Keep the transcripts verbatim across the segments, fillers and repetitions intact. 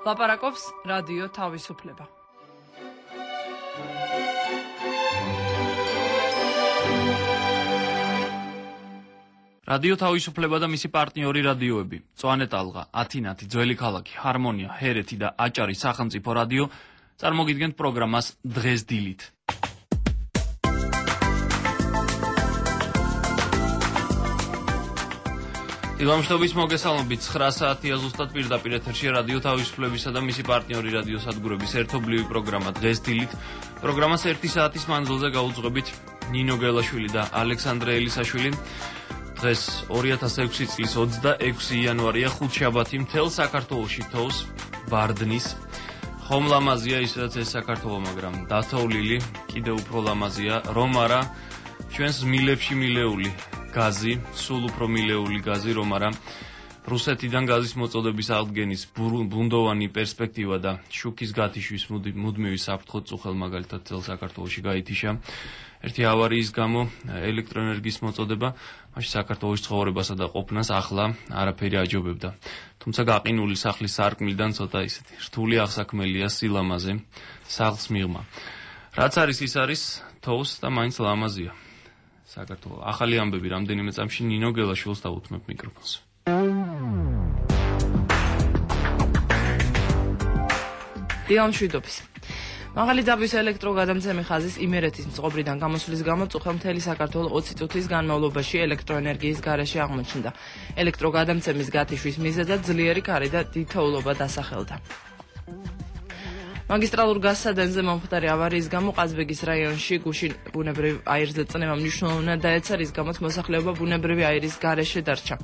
ლაპარაკობს რადიო თავისუფლება. რადიო თავისუფლება და მისი პარტნიორი რადიოები, წვანე ტალღა, ათინათი, ძველი ქალაქი, ჰარმონია, ჰერეთი და აჭარი სახელმწიფო რადიო წარმოგიდგენთ პროგრამას დღეს დილით. დილამშვიდობის მოგესალმებით, ცხრა საათია ზუსტად პირდაპირ ეთერში რადიო თავისუფლებისა და მისი პარტნიორი რადიო სადგურების ერთობლივი პროგრამა დღეს დილით. პროგრამას ერთი საათის მანძილზე გაუძღვებით ნინო გელაშვილი და ალექსანდრე ელისაშვილი. დღეს ორი ათას ექვსი წლის ოცდაექვსი იანვარია, ხუთშაბათი, მთელ საქართველოში თოვს, ბარდნის. ხომ ლამაზია ისედაც ეს საქართველო, მაგრამ დათოვლილი კიდევ უფრო ლამაზია, რომ არა ჩვენს მილებში მილეული გაზი, სულ უფრო მილეული გაზი, რომ არა რუსეთიდან გაზის მოწოდების აღდგენის ბუნდოვანი პერსპექტივა და შუქის გათიშვის მუდმივი საფრთხო წუხელ მაგალითად ძველ საქართველოში გაითიშა. ერთი ავარიის გამო ელექტროენერგიის მოწოდება მაშინ საქართველოს ცხოვრებასა და ყოფნას ახლა არაფერი აჯობებდა. თუმცა გაყინული სახლის სარკმლიდან ცოტა ისეთი რთული აღსაქმელია სილამაზე, სახლს მიღმა. რაც არის ის არის, თოვს და მაინც ლამაზია. საქართველო. ახალი ამბები რამდენიმე წამში ნინო გელაშვილს დავუთმებ მიკროფონს. დილამშვიდობის. მაღალი ძაბვის ელექტროგადამცემი ხაზის იმერეთის მწყობრიდან გამოსვლის გამო წუხელ მთელი საქართველო ოცი წუთის განმავლობაში ელექტროენერგიის გარეშე აღმოჩნდა. ელექტროგადამცემის გათიშვის მიზეზად ძლიერი ქარი და თითოეულობა დასახელდა. მაგისტრალურ გაზსადენზე მომხდარი ავარიის გამო ყაზბეგის რაიონში გუშინ ბუნებრივ აირზე წნევა მნიშვნელოვნად დაეცა, რის გამოც მოსახლეობა ბუნებრივი აირის გარეშე დარჩა.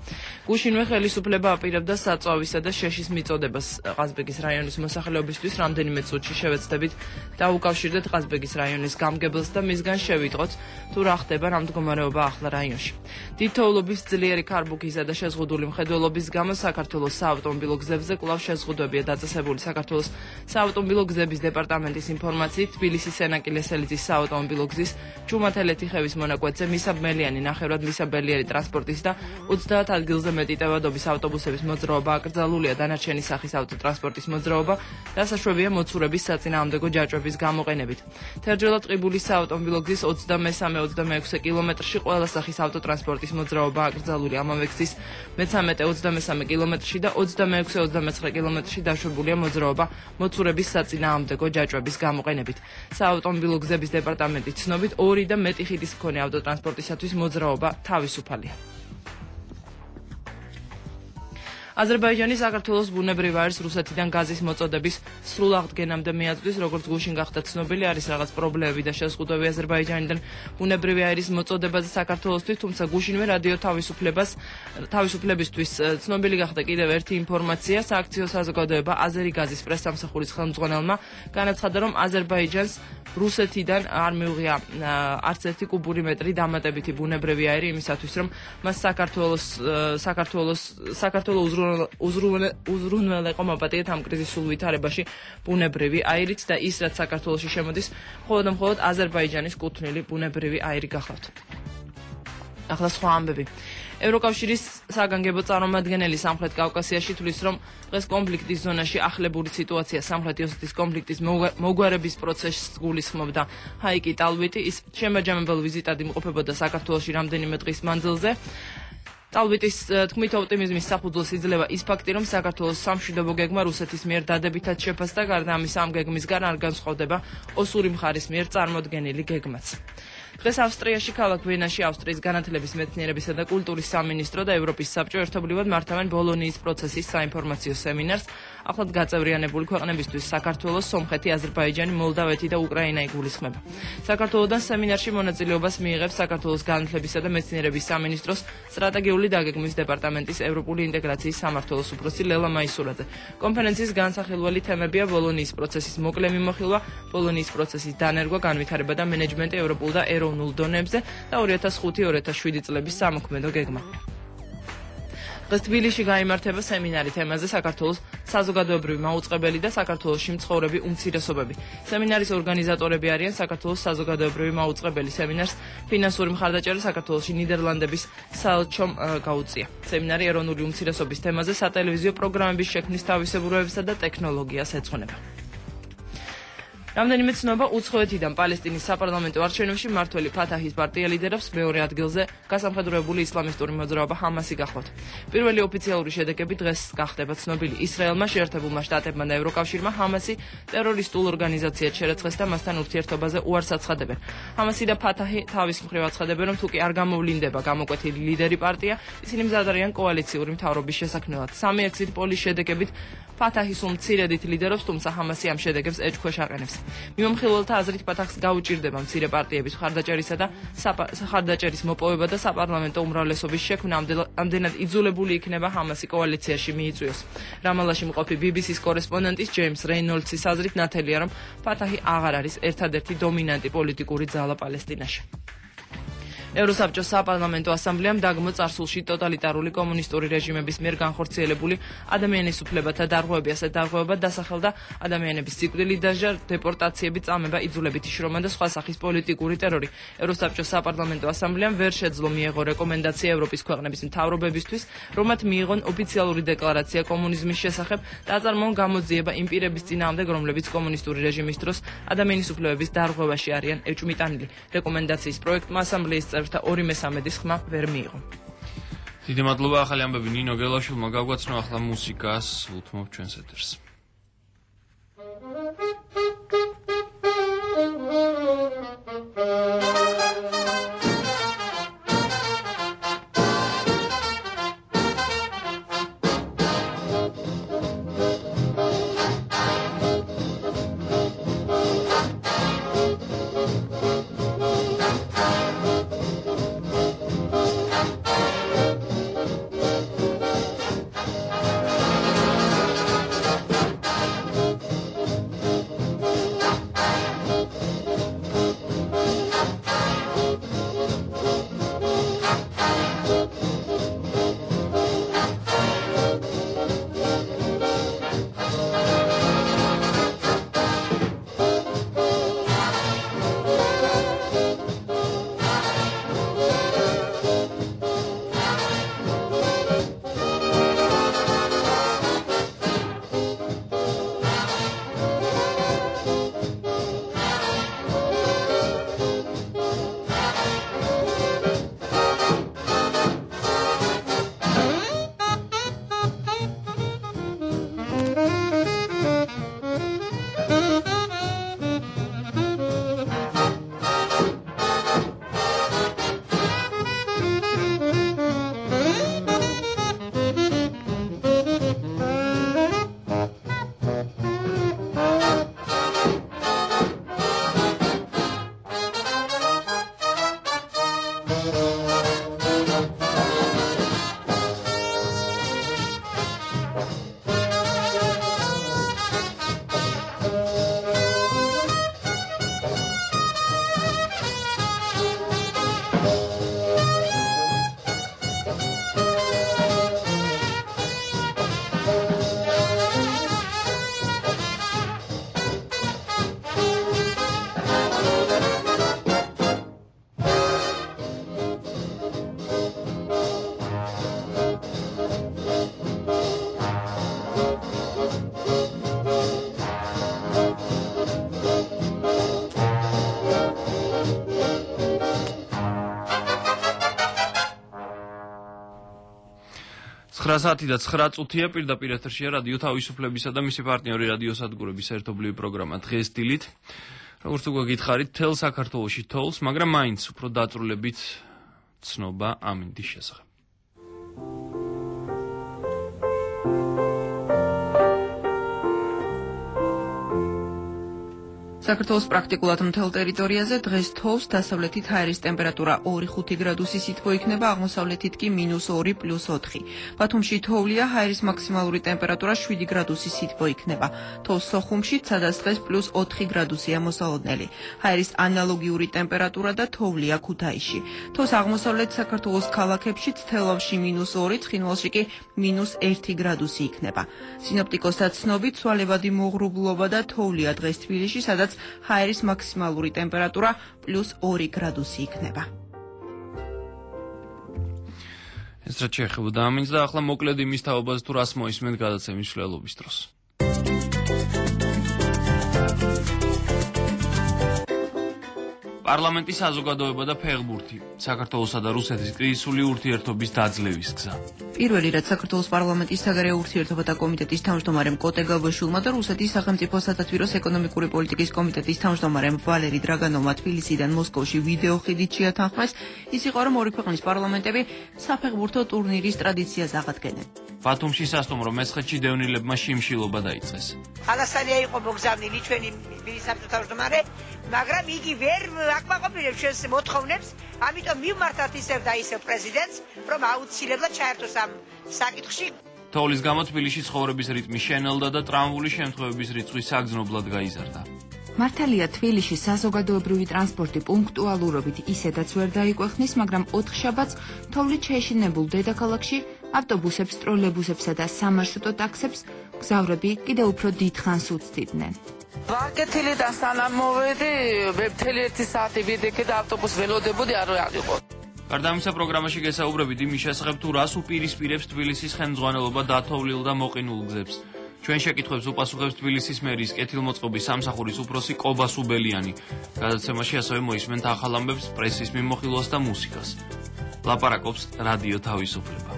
გუშინვე ხელისუფლება აპირებდა საწვავისა და შეშის მიწოდებას ყაზბეგის რაიონის მოსახლეობისთვის. რამდენიმე წუთში შევეცდებით დაუკავშირდეთ ყაზბეგის რაიონის გამგებელს და მისგან შევიტყოთ თუ რა ხდება, რა მდგომარეობა ახლა რაიონში. თითოეულობის ძლიერი ქარბუქისა და შეზღუდული მხედველობის გამო საქართველოს საავტომობილო გზებზე კვლავ შეზღუდვებია დაწესებული. საქართველოს საავტომობილო გზების დეპარტამენტის ინფორმაციით, თბილისის სენაკილესელიძის საავტომობილო გზის ჩუმათელეთი-ხევის მონაკვეთზე მისაბმელიანი, ნახევრად მისაბელიერი ტრანსპორტის და ოცდაათ ადგილზე მეტი ტევადობის ავტობუსების მოძრაობა აკრძალულია. დანარჩენი სახის ავტოტრანსპორტის მოძრაობა დასაშვებია მოცურების საწინააღმდეგო ჯაჭვების გამოყენებით. თერჯოლა ტყიბულის საავტომობილო გზის ოცდამესამე ოცდამეექვსე კილომეტრში ყველა სახის ავტოტრანსპორტის მოძრაობა აკრძალულია. ამავე გზის მეცამეტე ოცდამესამე კილომეტრში და ოცდამეექვსე ოცდამეცხრე კილომეტრში დაშვებულია მოძრაობა მოცურების საწინააღმდეგო ჯაჭვების გამოყენებით. საავტომობილო გზების დეპარტამენტის ცნობით ორი და მეტი ხიდის მქონე ავტოტრანსპორტისათვის მოძრაობა თავისუფალია. აზერბაიჯანი საქართველოს ბუნებრივ აირს რუსეთიდან გაზის მოწოდების სრულ აღდგენამდე მიაწვდის, როგორც გუშინ გახდა ცნობილი, არის რაღაც პრობლემები და შეზღუდვები აზერბაიჯანიდან ბუნებრივი აირის მოწოდებაზე საქართველოსთვის, თუმცა გუშინვე რადიო თავისუფლებას თავისუფლებისთვის ცნობილი გახდა კიდევ ერთი ინფორმაცია. სააქციო საზოგადოება აზერი გაზის პრესსამსახურის ხელმძღვანელმა განაცხადა, რომ აზერბაიჯანს რუსეთიდან არ მიუღია არც ერთი კუბური მეტრი დამატებითი ბუნებრივი აირი იმისათვის, რომ მას საქართველოს საქართველოს საქართველოს უზრუნველეყო მოპატიეთ ამ კრიზისულ ვითარებაში ბუნებრივი აირით და ის, რაც საქართველოში შემოდის, მხოლოდ და მხოლოდ აზერბაიჯანის კუთვნილი ბუნებრივი აირი გახლავთ. ახლა სხვა ამბები. ევროკავშირის საგანგებო წარმომადგენელი სამხრეთ კავკასიაში თვლის, რომ დღეს კონფლიქტის ზონაში ახლებური სიტუაცია სამხრეთ ოსეთის კონფლიქტის მოგვარების პროცესს გულისხმობდა. ჰაიკი ტალვიტი ის შემაჯამებელ ვიზიტად იმყოფებოდა საქართველოში რამდენიმე დღის მანძილზე. ტალვიტის თქმით, ოპტიმიზმის საფუძველს იძლევა ის ფაქტი, რომ საქართველოს სამშვიდობო გეგმა რუსეთის მიერ დადებითად შეფასდა, გარდა ამისა ამ გეგმისგან არ განსხვავდება ოსური მხარის მიერ წარმოდგენილი გეგმაც. დღეს ავსტრიაში ქალაქ ვენაში ავსტრიის განათლების, მეცნიერებისა და კულტურის სამინისტრო და ევროპის საბჭო ერთობლივად მართავენ ბოლონიის პროცესის საინფორმაციო სემინარს. ახლად გაწევრიანებული ქვეყნებისთვის საქართველოს, სომხეთი, აზერბაიჯანი, მოლდავეთი და უკრაინა იგულისხმება. საქართველოდან სემინარში მონაწილეობას მიიღებს საქართველოს განათლებისა და მეცნიერების სამინისტროს სტრატეგიული დაგეგმვის დეპარტამენტის ევროპული ინტეგრაციის სამმართველოს უფროსი ლელა მაისურაძე. კონფერენციის განსახილველი თემებია ბოლონიის პროცესის მოკლე მიმოხილვა, ბოლონიის პროცესის დანერგვა, განვითარება და მენეჯმენტი ევროპულ და ეროვნულ დონეებზე და ორი ათას ხუთი ორი ათას შვიდი წლების სამოქმედო გეგმა. დღეს თბილისში გაიმართება სემინარი თემაზე საქართველოს საზოგადოებრივი მაუწყებელი და საქართველოში მცხოვრები უმცირესობები. სემინარის ორგანიზატორები არიან საქართველოს საზოგადოებრივი მაუწყებელი. სემინარს ფინანსური მხარდაჭერა საქართველოში ნიდერლანდების საელჩომ გაუწია. სემინარი ეროვნული უმცირესობის თემაზე სატელევიზიო პროგრამების შექმნის თავისებურებებსა და ტექნოლოგიას ეძღვნება. რამდენიმე ცნობა უცხოეთიდან პალესტინის საპარლამენტო არჩევნებში მმართველი ფათაჰის პარტია ლიდერობს მეორე ადგილზე გასამხედროებული ისლამისტური მოძრაობა ჰამასი გახლავთ. პირველი ოფიციალური შედეგები დღეს გახდება ცნობილი. ისრაელმა, შეერთებულმა შტატებმა და ევროკავშირმა ჰამასი ტერორისტულ ორგანიზაციად შერაცხეს და მასთან ურთიერთობაზე უარს აცხადებენ. ჰამასი და ფათაჰი თავის მხრივ აცხადებენ, რომ თუკი არ გამოვლინდება გამოკვეთილი ლიდერი პარტია, ისინი მზად არიან კოალიციური მთავრობის შესაქმნელად. სამი ექსიტ პოლის შედეგებით ფათაჰი სულ მცირედით ლიდერობს, თუმცა ჰამასი ამ შედეგებს ეჭქვეშ აყენებს. მიმოხილველთა აზრით ფათაჰს გაუჭირდება მცირე პარტიების მხარდაჭერისა და მხარდაჭერის მოპოვება და საპარლამენტო უმრავლესობის შექმნა, ამდენად იძულებული იქნება ჰამასი კოალიციაში მიიწვიოს. რამალაში მყოფი ბი ბი სის კორესპონდენტის ჯეიმს რეინოლდსის აზრით ნათელია, რომ ფათაჰი აღარ არის ერთადერთი დომინანტი პოლიტიკური ძალა პალესტინაში. ევროსაბჭოს საპარლამენტო ასამბლეამ დაგმო წარსულში ტოტალიტარული კომუნისტური რეჟიმების მიერ განხორციელებული ადამიანის უფლებათა დარღვევები, ასეთ დარღვევებად დასახელდა ადამიანების სიკვდილი, დასჯა, დეპორტაციები, წამება, იძულებითი შრომა და სხვა სახის პოლიტიკური ტერორი. ევროსაბჭოს საპარლამენტო ასამბლეამ ვერ შეძლო მიეღო რეკომენდაცია ევროპის ქვეყნების მთავრობებისთვის, რომ მათ მიიღონ ოფიციალური დეკლარაცია კომუნიზმის შესახებ და აწარმოონ გამოძიება იმ პირების წინააღმდეგ, რომლებიც კომუნისტური რეჟიმის დროს ადამიანის უფლებების დარღვევაში არიან ეჭვმიტანილი. რეკომენდაციის პროექტმა ასამბლეის და ორი მესამედის ხმა ვერ მიიღო. დიდი მადლობა ახალი ამბები ნინო გელაშვილმა გაგვაცნო ახლა მუსიკას უთმობ ჩვენს ეთერს. ცხრა საათი და ცხრა წუთია პირდაპირ ეთერშია რადიო თავისუფლებისა და მისი პარტნიორი რადიო სადგურების ერთობლივი პროგრამა დღეს დილით. როგორც უკვე გითხარით, თელ საქართველოში თოვლს, მაგრამ მაინც უფრო დაწვრილებით ცნობა ამინდის შესახებ. საქართველოს პრაქტიკულად მთელ ტერიტორიაზე დღეს თოვს დასავლეთით ჰაერის ტემპერატურა ორი ხუთი გრადუსი სითბო იქნება, აღმოსავლეთით კი მინუს ორი პლუს ოთხი. ბათუმში თოვლია, ჰაერის მაქსიმალური ტემპერატურა შვიდი გრადუსი სითბო იქნება. თოვს სოხუმში, სადაც დღეს პლუს ოთხი გრადუსია მოსალოდნელი. ჰაერის ანალოგიური ტემპერატურა და თოვლია ქუთაისში. თოვს აღმოსავლეთ საქართველოს ქალაქებში, თელავში მინუს ორი, ცხინვალში კი მინუს ერთი გრადუსი იქნება. სინოპტიკოსთა ცნობით, ცვალებადი მოღრუბლობა და თოვლია დღეს თბილისში, სადაც ჰაერის მაქსიმალური ტემპერატურა პლუს ორი გრადუსი იქნება. ეს რაც შეეხებოდა ამინს და ახლა მოკლედ იმის თაობაზე თუ რას მოისმენთ გადაცემის მშლელობის დროს. პარლამენტის საზოგადოება და ფეხბურთი, საქართველოსა და რუსეთის კრიზისული ურთიერთობის დაძლევის გზა. პირველი რაც საქართველოს პარლამენტის საგარეო ურთიერთობათა კომიტეტის თავმჯდომარემ კოტე გაბაშვილმა და რუსეთის სახელმწიფო სათათბიროს ეკონომიკური პოლიტიკის კომიტეტის თავმჯდომარემ ვალერი დრაგანოვმა თბილისიდან მოსკოვში ვიდეო ხიდით შეათანხმეს, ის იყო რომ ორი ქვეყნის პარლამენტები საფეხბურთო ტურნირის ტრადიციას აღადგენენ. ბათუმში სასტუმრო მესხეთში დევნილებმა შიმშილობა დაიწყეს. ხალასანია იყო მოგზავნილი ჩვენი ministrul თავმჯდომარე, მაგრამ იგი ვერ აკმაყოფილებს ჩვენს მოთხოვნებს, ამიტომ მივმართათ ისევ და ისევ პრეზიდენტს, რომ აუცილებლად ჩაერთოს ამ საკითხში. თოვლის გამო თბილისში ცხოვრების რიტმი შენელდა და ტრამვული შემთხვევების რიცხვი საგრძნობლად გაიზარდა. მართალია თბილისში საზოგადოებრივი ტრანსპორტი პუნქტუალურობით ისედაც ვერ დაიკვეხნის, მაგრამ ოთხშაბათს თოვლით შეშინებულ დედაქალაქში ავტობუსებს, ტროლეიბუსებსა და სამარშრუტო ტაქსებს მგზავრები კიდევ უფრო დიდხანს უცდიდნენ. ვაკეთილიდან სანამ მოვედი, მთელი ერთი საათი ვიდექე და ავტობუსს ველოდებოდი, არ ვიყო. გარდა ამისა, პროგრამაში გესაუბრებით იმის შესახებ, თუ რას უპირისპირებს თბილისის ხელმძღვანელობა დათოვლილ და მოყინულ გზებს. ჩვენ შეკითხვებს უპასუხებს თბილისის მერის კეთილმოწყობის სამსახურის უფროსი კობა სუბელიანი. გადაცემაში ასევე მოისმენთ ახალ ამბებს, პრესის მიმოხილვას და მუსიკას. ლაპარაკობს რადიო თავისუფლება.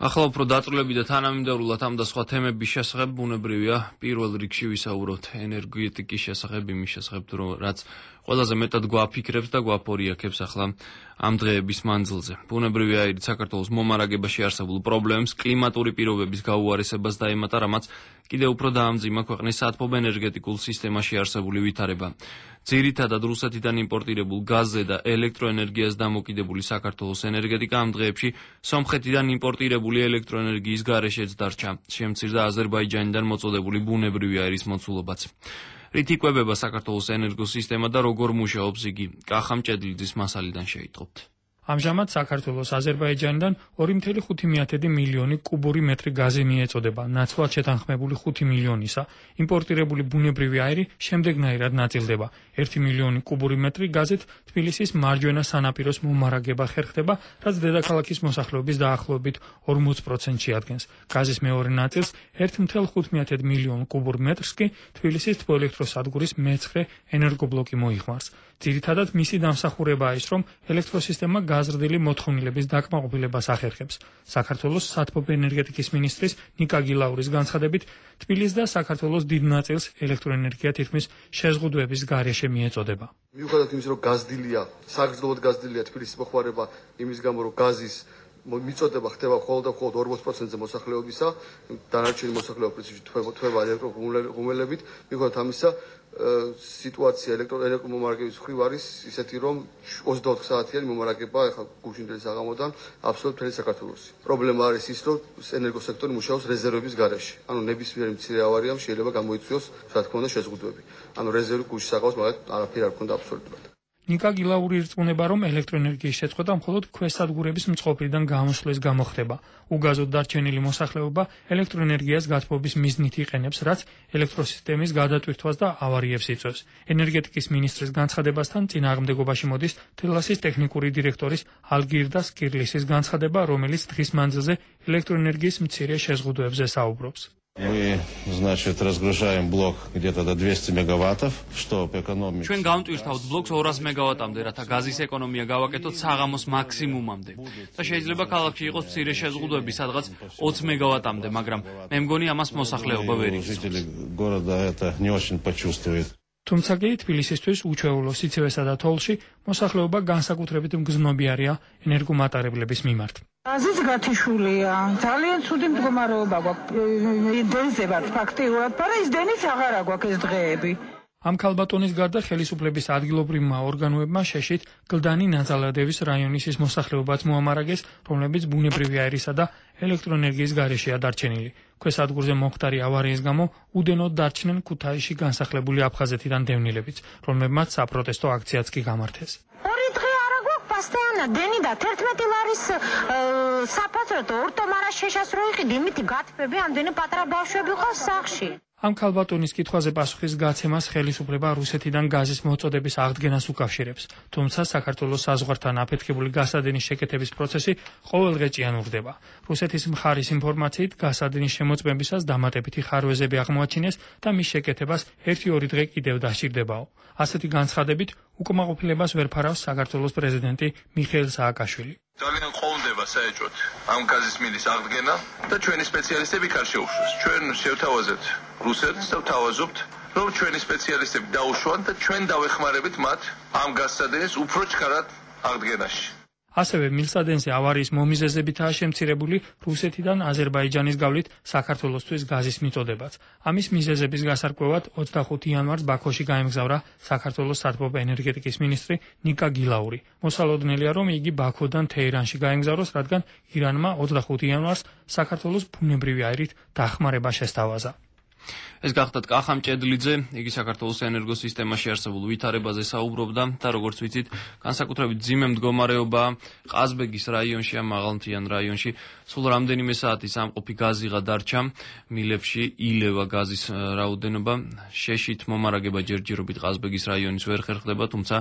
ახლა უფრო დაწვრილები და თანამიმდევრულად ამ და სხვა თემების შესახებ ბუნებრივია პირველ რიგში ვისაუბროთ ენერგეტიკის შესახებ, იმის შესახებ, რომ რაც ყველაზე მეტად გვაფიქრებს და გვაფორიაქებს ახლა ამ დღეების მანძილზე. ბუნებრივი აირით საქართველოს მომარაგებაში არსებულ პრობლემებს, კლიმატური პირობების გაუარესებას დაემატა, რამაც კიდევ უფრო დაამძიმა ქვეყნის საათბობ-ენერგეტიკულ სისტემაში არსებული ვითარება. ძირითადად რუსეთიდან იმპორტირებულ გაზზე და ელექტროენერგიას დამოკიდებული საქართველოს ენერგეტიკა ამ დღეებში სომხეთიდან იმპორტირებული ელექტროენერგიის გარეშეც დარჩა. შემცირდა აზერბაიჯანიდან მოწოდებული ბუნებრივი აირის მოცულობაც. რით იკვებება საქართველოს ენერგოსისტემა და როგორ მუშაობს იგი? კახა მჭედლიძის მასალიდან შეიტყობთ. ამჟამად საქართველოს აზერბაიჯანიდან ორი კoma ხუთი მილიონი კუბური მეტრი გაზი მიეწოდება, ნაცვლად შეთანხმებული ხუთი მილიონისა. იმპორტირებული ბუნებრივი აირი შემდეგნაირად ნაწილდება. ერთი მილიონი კუბური მეტრი გაზით თბილისის მარჯვენა სანაპიროს მომარაგება ხერხდება, რაც დედაქალაქის მოსახლეობის დაახლოებით ორმოც პროცენტს შეადგენს. გაზის მეორე ნაწილს ერთი კoma ხუთი მილიონ კუბურ მეტრს კი თბილისის თბოელექტროსადგურის მეცხრე ენერგობლოკი მოიხმარს. ძირითადად მისი დამსახურებაა ის, რომ ელექტროსისტემა გაზრდილი მოთხოვნილების დაკმაყოფილებას ახერხებს. საქართველოს საათბობ-ენერგეტიკის მინისტრის ნიკა გილაურის განცხადებით, თბილისს და საქართველოს დიდ ნაწილს ელექტროენერგია თითქმის შეზღუდვების გარეშე მიეწოდება. მიუხედავად იმისა, რომ გაზრდილია, საგრძნობლად გაზრდილია თბილისის მოხმარება, იმის გამო, რომ გაზის მიწოდება ხდება მხოლოდ და მხოლოდ ორმოც პროცენტზე მოსახლეობისა, დანარჩენი მოსახლეობა პრინციპში თვება ელექტროღუმელებით, მიუხედავად ამისა, სიტუაცია ელექტრომომარაგების მხრივ არის ისეთი, რომ ოცდაოთხ საათიანი მომარაგება ახლა გუშინდელი საღამოდან აბსოლუტურად მთელი საქართველოში. პრობლემა არის ის, რომ ენერგოსექტორი მუშაობს რეზერვების გარეშე. ანუ ნებისმიერი მცირე ავარიამ შეიძლება გამოიწვიოს, რა თქმა უნდა, შეზღუდვები. ანუ რეზერვი გუშინ საღამოს მაგათ არაფერი არ ქონდა აბსოლუტურად. ნიკა გილაური ირწმუნება, რომ ელექტროენერგიის შეწყვეტა მხოლოდ ქვესადგურების მწყობრიდან გამოსვლის გამო ხდება. უგაზოდ დარჩენილი მოსახლეობა ელექტროენერგიას გათბობის მიზნით იყენებს, რაც ელექტროსისტემის გადატვირთვას და ავარიებს იწვევს. ენერგეტიკის მინისტრის განცხადებასთან წინააღმდეგობაში მოდის თელასის ტექნიკური დირექტორის ალგირდას კირლისის განცხადება, რომელიც დღის მანძილზე ელექტროენერგიის მცირე შეზღუდვებზე საუბრობს. Мы, значит, разгружаем блок где-то до двухсот мегаваттов, что по экономике. ჩვენ გამტვირთავთ ბლოკს ორას მეგავატამდე, რათა გაზის ეკონომია გავაკეთოთ საღამოს მაქსიმუმამდე. და შეიძლება ქალაქში იყოს მცირე შეზღუდვები, სადღაც ოცი მეგავატამდე, მაგრამ მე მგონი ამას მოსახლეობა ვერ იცის. Жители города это не очень почувствуют. თუმცა კი თბილისისთვის უჩვეულო სიცივესა და თოვლში მოსახლეობა განსაკუთრებით მგრძნობი არიან ენერგომატარებლების მიმართ. გაზიც გათიშულია, ძალიან ცუდი მდგომარეობა გვაქვს, დენზე ვართ ფაქტიურად, მაგრამ ის დენიც აღარ აგვაქვს ეს დღეები. ამ ქალბატონის გარდა ხელისუფლების ადგილობრივმა ორგანოებმა შეშით გლდანი ნაძალადევის რაიონის ის მოსახლეობაც მოამარაგეს, რომლებიც ბუნებრივი აირისა და ელექტროენერგიის გარეშეა დარჩენილი. ქვესადგურზე მომხდარი ავარიის გამო უდენოდ დარჩნენ ქუთაისში განსახლებული აფხაზეთიდან დევნილებიც, რომლებმაც საპროტესტო აქციაც კი გამართეს. ორი დღე არა გვაქვს პასტეანა დენი და თერთმეტი ლარის საფაცროთო ორტომარას შეშასრული ყიდი, იმითი გათბები ამდენი პატარა ბავშვები ყავს სახლში. ამ ქალბატონის კითხვაზე პასუხის გაცემას ხელისუფლება რუსეთიდან გაზის მოწოდების აღდგენას უკავშირებს, თუმცა საქართველოს საზღვართან აფეთქებული გასადენის შეკეთების პროცესი ყოველდღე ჭიანურდება. რუსეთის მხარის ინფორმაციით, გასადენის შემოწმებისას დამატებითი ხარვეზები აღმოაჩინეს და მის შეკეთებას ერთი-ორი დღე კიდევ დასჭირდებაო. ასეთი განცხადებით უკმაყოფილებას ვერ ფარავს საქართველოს პრეზიდენტი მიხეილ სააკაშვილი. ძალიან ყოლდება საერთოდ ამ გაზის მილის აღდგენა და ჩვენი სპეციალისტები იქ არ შეუშვეს. ჩვენ შევთავაზეთ რუსეთს და ვთავაზობთ, რომ ჩვენი სპეციალისტები დაუშვან და ჩვენ დავეხმარებით მათ ამ გასადენის უფრო ჩქარად აღდგენაში. ასევე მილსადენზე ავარიის მომიზეზებითაა შემცირებული რუსეთიდან აზერბაიჯანის გავლით საქართველოსთვის გაზის მიწოდებაც. ამის მიზეზების გასარკვევად ოცდახუთი იანვარს ბაქოში გაემგზავრა საქართველოს სათბობ ენერგეტიკის მინისტრი ნიკა გილაური. მოსალოდნელია, რომ იგი ბაქოდან თეირანში გაემგზავროს, რადგან ირანმა ოცდახუთი იანვარს საქართველოს ბუნებრივი აირით დახმარება შესთავაზა. ეს გახდათ კახა მჭედლიძე, იგი საქართველოს ენერგოსისტემაში არსებულ ვითარებაზე საუბრობდა და როგორც ვიცით, განსაკუთრებით ძიმე მდგომარეობა ყაზბეგის რაიონში, ამ მაღალმთიან რაიონში, სულ რამდენიმე საათი სამყოფი გაზიღა დარჩა, მილებში ილევა გაზის რაოდენობა, შეშით მომარაგება ჯერჯერობით ყაზბეგის რაიონის ვერ ხერხდება, თუმცა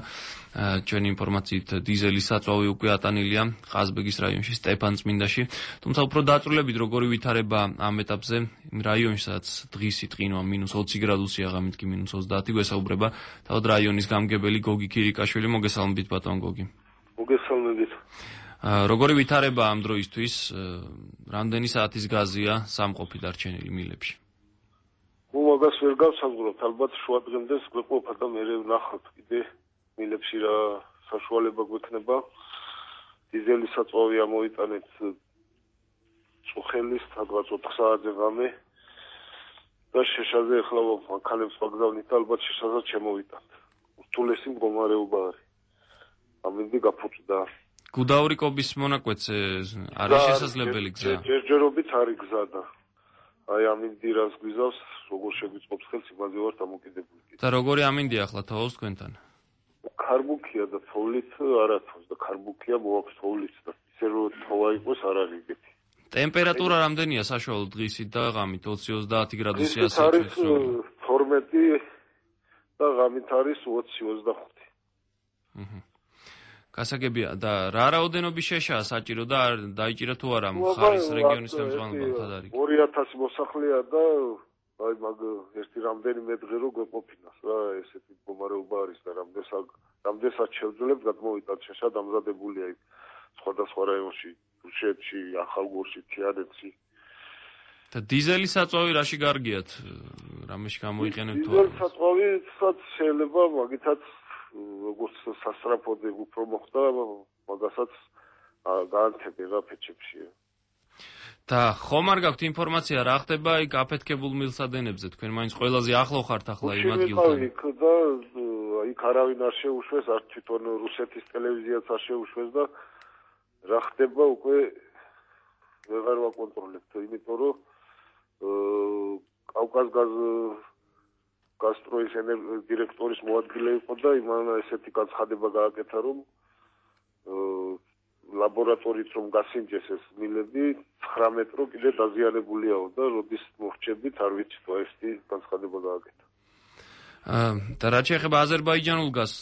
ჩვენი ინფორმაციით დიზელის საწვავი უკვე ატანილია ყაზბეგის რაიონში, სტეფანწმინდაში, თუმცა უფრო დაწვრილებით როგორი ვითარება ამ ეტაპზე რაიონში, სადაც დღისი ტყინვა მინუს ოცი გრადუსია, ღამით კი მინუს ოცდაათი, გვესაუბრება თავად რაიონის გამგებელი გოგი ქირიკაშვილი. მოგესალმებით ბატონ გოგი. მოგესალმებით. როგორი ვითარება ამ დროისთვის, რამდენი საათის გაზია სამყოფი დარჩენილი მილებში? ნუ მაგას ვერ გავსაზღვროთ, ალბათ შუა დღემდეც გვეყოფა და მე ვნახავთ კიდე მილებში რა საშუალება გვექნება. დიზელის საწვავი ამოიტანეთ წუხელის სადღაც ოთხ საათზე ღამე. და შეშაზე ახლა მანქანებს ვაგზავნით და ალბათ შეშაზაც შემოვიტანთ. ურთულესი მდგომარეობა არის. ამინდი გაფუჭდა. გუდაურიკობის მონაკვეთს არის შესაძლებელი გზა? ჯერჯერობით არის გზა და აი ამინდი რას გვიზავს, როგორ შეგვიწყობს ხელს, იმაზე ვარ დამოკიდებული. და როგორი ამინდი ახლა თოვოს თქვენთან? ქარბუქია და თოვლით არა თავს და ქარბუქია მოაქვს თოვლით და ისე რომ თოვა იყოს არ არის ეგეთი. ტემპერატურა რამდენია საშუალო დღისით და ღამით? ოცი ოცდაათი გრადუსია არის თორმეტი და ღამით არის ოცი ოცდახუთი. აჰა. გასაგებია და რა რაოდენობის შეშაა საჭირო და დაიჭირა თუ არა მხარის რეგიონის ხელმძღვანელობამ არის? ორი ათასი მოსახლეა და აი მაგ ერთი რამდენიმე დღე რო გვეყოფინას რა ესეთი მდგომარეობა არის და რამდენსაც რამდენსაც შევძლებთ გადმოვიტანთ შეშა დამზადებულია იქ სხვადასხვა რაიონში, რუსეთში, ახალგორში, თიანეთში. და დიზელის საწვავი რაში გარგიათ? რამეში გამოიყენებთ თუ არა? დიზელის საწვავისაც შეიძლება მაგითაც როგორც სასწრაფოდ უფრო მოხდა, მაგასაც გაანთებენ რა ფეჩებში. და ხომ არ გაქვთ ინფორმაცია რა ხდება იქ აფეთქებულ მილსადენებზე? თქვენ მაინც ყველაზე ახლო ხართ ახლა იმ ადგილთან. იქ და იქ არავინ არ შეუშვეს, არ თვითონ რუსეთის ტელევიზიაც არ შეუშვეს და რა ხდება უკვე ვეღარ ვაკონტროლებთ, იმიტომ რომ კავკასგაზ გასტროის დირექტორის მოადგილე იყო და იმან ესეთი განცხადება გააკეთა, რომ ლაბორატორიით რომ გასინჯეს ეს მილები ცხრამეტ რო კიდე დაზიანებულიაო და როდის მოხჭებით არ ვიცი თუ ესეთი განცხადება გააკეთა. და რაც შეეხება აზერბაიჯანულ გაზს,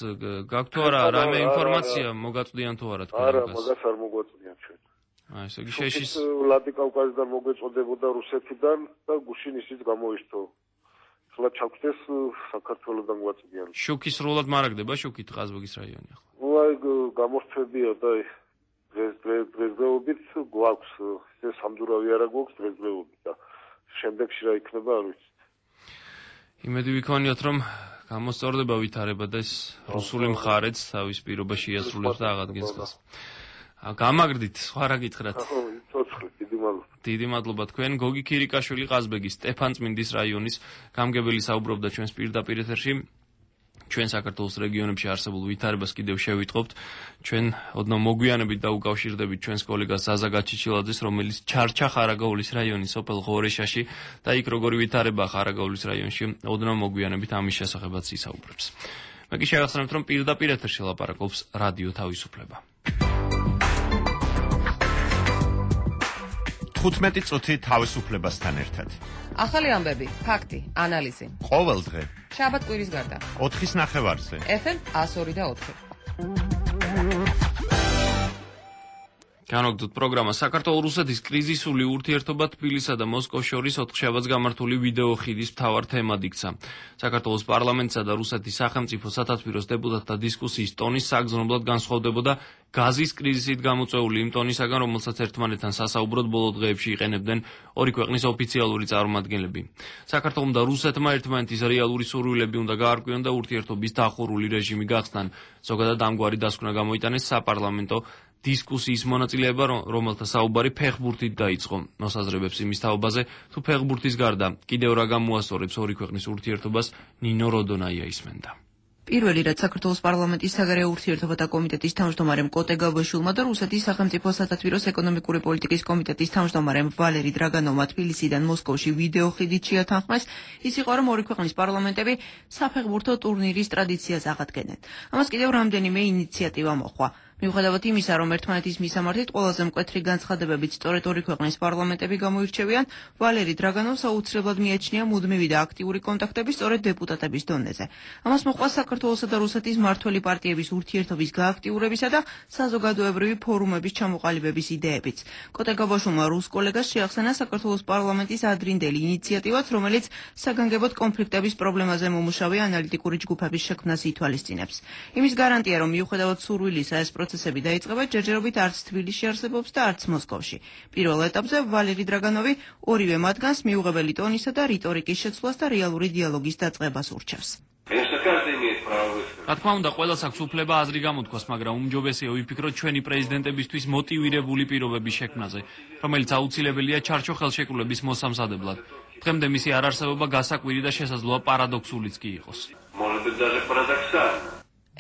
გაქვთ თუ არა რამე ინფორმაცია მოგაწვდიან თუ არა თქვენ? არა, მაგას არ მოგვაწვდიან ჩვენ. აი, ესე იგი შეშის ვლადიკავკაზიდან მოგვეწოდებოდა რუსეთიდან და გუშინ ისიც გამოიშთო. ხლა ჩაგვდეს საქართველოსდან გვაწვდიან. შუქი სრულად მარაგდება, შუქით ყაზბეგის რაიონი ახლა. ნუ აი გამორჩებია და დღეს დღესდღეობით გვაქვს, ეს სამდურავი არა გვაქვს დღესდღეობით და შემდეგში რა იქნება არ ვიცი. იმედი ვიქონიოთ, რომ გამოსწორდება ვითარება და ეს რუსული მხარეც თავის პირობა შეასრულებს და აღადგენს ხელს. გამაგრდით, სხვა რა გითხრათ? დიდი მადლობა თქვენ. გოგი ქირიკაშვილი ყაზბეგის სტეფანწმინდის რაიონის გამგებელი საუბრობდა ჩვენს პირდაპირ ეთერში. ჩვენ საქართველოს რეგიონებში არსებულ ვითარებას კიდევ შევიტყობთ. ჩვენ ოდნავ მოგვიანებით დაუკავშირდებით ჩვენს კოლეგას ზაზა გაჩიჩილაძეს, რომელიც ჩარჩა ხარაგაულის რაიონის სოფელ ღორეშაში და იქ როგორი ვითარება ხარაგაულის რაიონში, ოდნავ მოგვიანებით ამის შესახებაც ისაუბრებს. მე კი შევახსენებთ, რომ პირდაპირ ეთერში ლაპარაკობს რადიო თავისუფლება. თხუთმეტი წუთი თავისუფლებასთან ერთად. ახალი ამბები, ფაქტი, ანალიზი. ყოველ დღე. შაბათ კვირის გარდა. ოთხის ნახევარზე. ეფ ემ ათას ორი და ოთხი. განაგდოთ პროგრამა საქართველოს-რუსეთის კრიზისული ურთიერთობა თბილისსა და მოსკოვს შორის ოთხშაბათს გამართული ვიდეო ხიდის მთავარ თემად იქცა. საქართველოს პარლამენტსა და რუსეთის სახელმწიფო სათათბიროს დეპუტატთა დისკუსიის ტონის საგრძნობლად განსხვავდებოდა გაზის კრიზისით გამოწვეული იმ ტონისაგან, რომელსაც ერთმანეთთან სასაუბროდ ბოლო დღეებში იყენებდნენ ორი ქვეყნის ოფიციალური წარმომადგენლები. საქართველომ და რუსეთმა ერთმანეთის რეალური სურვილები უნდა გაარკვიონ და ურთიერთობის დახურული რეჟიმი გახსნან. ზოგადად ამგვარი დასკვნა გამოიტანეს საპარლამენტო დისკუსიის მონაწილეება, რომელთა საუბარი ფეხბურთით დაიწყო. მოსაზრებებს იმის თაობაზე, თუ ფეხბურთის გარდა კიდევ რა გამოასწორებს ორი ქვეყნის ურთიერთობას, ნინო როდონაია ისმენდა. პირველი რაც საქართველოს პარლამენტის საგარეო ურთიერთობათა კომიტეტის თავმჯდომარემ კოტე გაბაშვილმა და რუსეთის სახელმწიფო სათათბიროს ეკონომიკური პოლიტიკის კომიტეტის თავმჯდომარემ ვალერი დრაგანოვმა თბილისიდან მოსკოვში ვიდეო ხიდით შეათანხმეს, ის იყო, რომ ორი ქვეყნის პარლამენტები საფეხბურთო ტურნირის ტრადიციას აღადგენენ. ამას კიდევ რამდენიმე ინიციატივა მოჰყვა. მიუხედავად იმისა, რომ ერთმანეთის მისამართით ყველაზე მკვეთრი განცხადებებით სწორედ ორი ქვეყნის პარლამენტები გამოირჩევიან, ვალერი დრაგანოვს აუცილებლად მიაჩნია მუდმივი და აქტიური კონტაქტები სწორედ დეპუტატების დონეზე. ამას მოჰყვა საქართველოსა და რუსეთის მმართველი პარტიების ურთიერთობის გააქტიურებისა და საზოგადოებრივი ფორუმების ჩამოყალიბების იდეებიც. კოტე გაბაშვილმა რუს კოლეგას შეახსენა საქართველოს პარლამენტის ადრინდელი ინიციატივაც, რომელიც საგანგებოდ კონფლიქტების პრობლემაზე მომუშავე ანალიტიკური ჯგუფების შექმნას ითვალისწინებს. იმის გარანტია, რომ მიუხედავად სურვილისა ეს პროცესები დაიწყება, ჯერჯერობით არც თბილისში არსებობს და არც მოსკოვში. პირველ ეტაპზე ვალერი დრაგანოვი ორივე მათგანს მიუღებელი ტონისა და რიტორიკის შეცვლას და რეალური დიალოგის დაწყებას ურჩევს. რა თქმა უნდა, ყველას აქვს უფლება აზრი გამოთქვას, მაგრამ უმჯობესია ვიფიქროთ ჩვენი პრეზიდენტებისთვის მოტივირებული პირობების შექმნაზე, რომელიც აუცილებელია ჩარჩო ხელშეკრულების მოსამზადებლად. დღემდე მისი არარსებობა გასაკვირი და შესაძლოა პარადოქსულიც კი იყოს.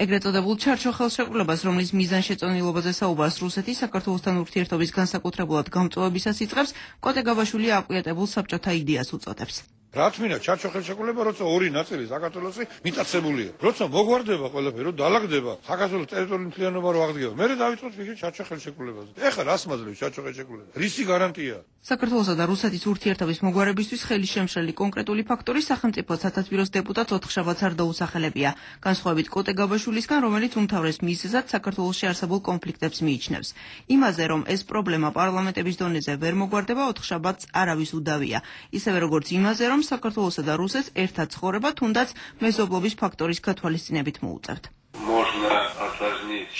ეგრეთ წოდებულ ჩარჩო ხელშეკრულებას, რომლის მიზანშეწონილობაზე საუბარს რუსეთი საქართველოსთან ურთიერთობის განსაკუთრებულად გამწვავებისას იწყებს, კოტე გაბაშვილი აკვიატებულ საბჭოთა იდეას უწოდებს. რაც მინდა ჩარჩო ხელშეკრულება, როცა ორი ნაწილი საქართველოსი მიტაცებულია. როცა მოგვარდება ყველაფერი, რომ დაალაგდება საქართველოს ტერიტორიული მთლიანობა რო აღდგება. მე დავიწყოთ ვიქი ჩარჩო ხელშეკრულებაზე. ეხლა რას მაძლევს ჩარჩო ხელშეკრულება? რისი გარანტია? საქართველოსა და რუსეთის ურთიერთობის მოგვარებისთვის ხელი შემშლელი კონკრეტული ფაქტორი სახელმწიფო სათათბიროს დეპუტატ ოთხშაბათს არ დაუსახელებია. განსხვავებით კოტე გაბაშვილისგან, რომელიც უმთავრეს მიზეზად საქართველოში არსებულ კონფლიქტებს მიიჩნევს. იმაზე, რომ ეს პრობლემა პარლამენტების დონეზე ვერ მოგვარდება, ოთხშაბათს არავის უდავია. ისევე როგორც იმაზე, რომ საქართველოსა და რუსეთს ერთად ცხოვრება, თუნდაც მეზობლობის ფაქტორის გათვალისწინებით მოუწევთ.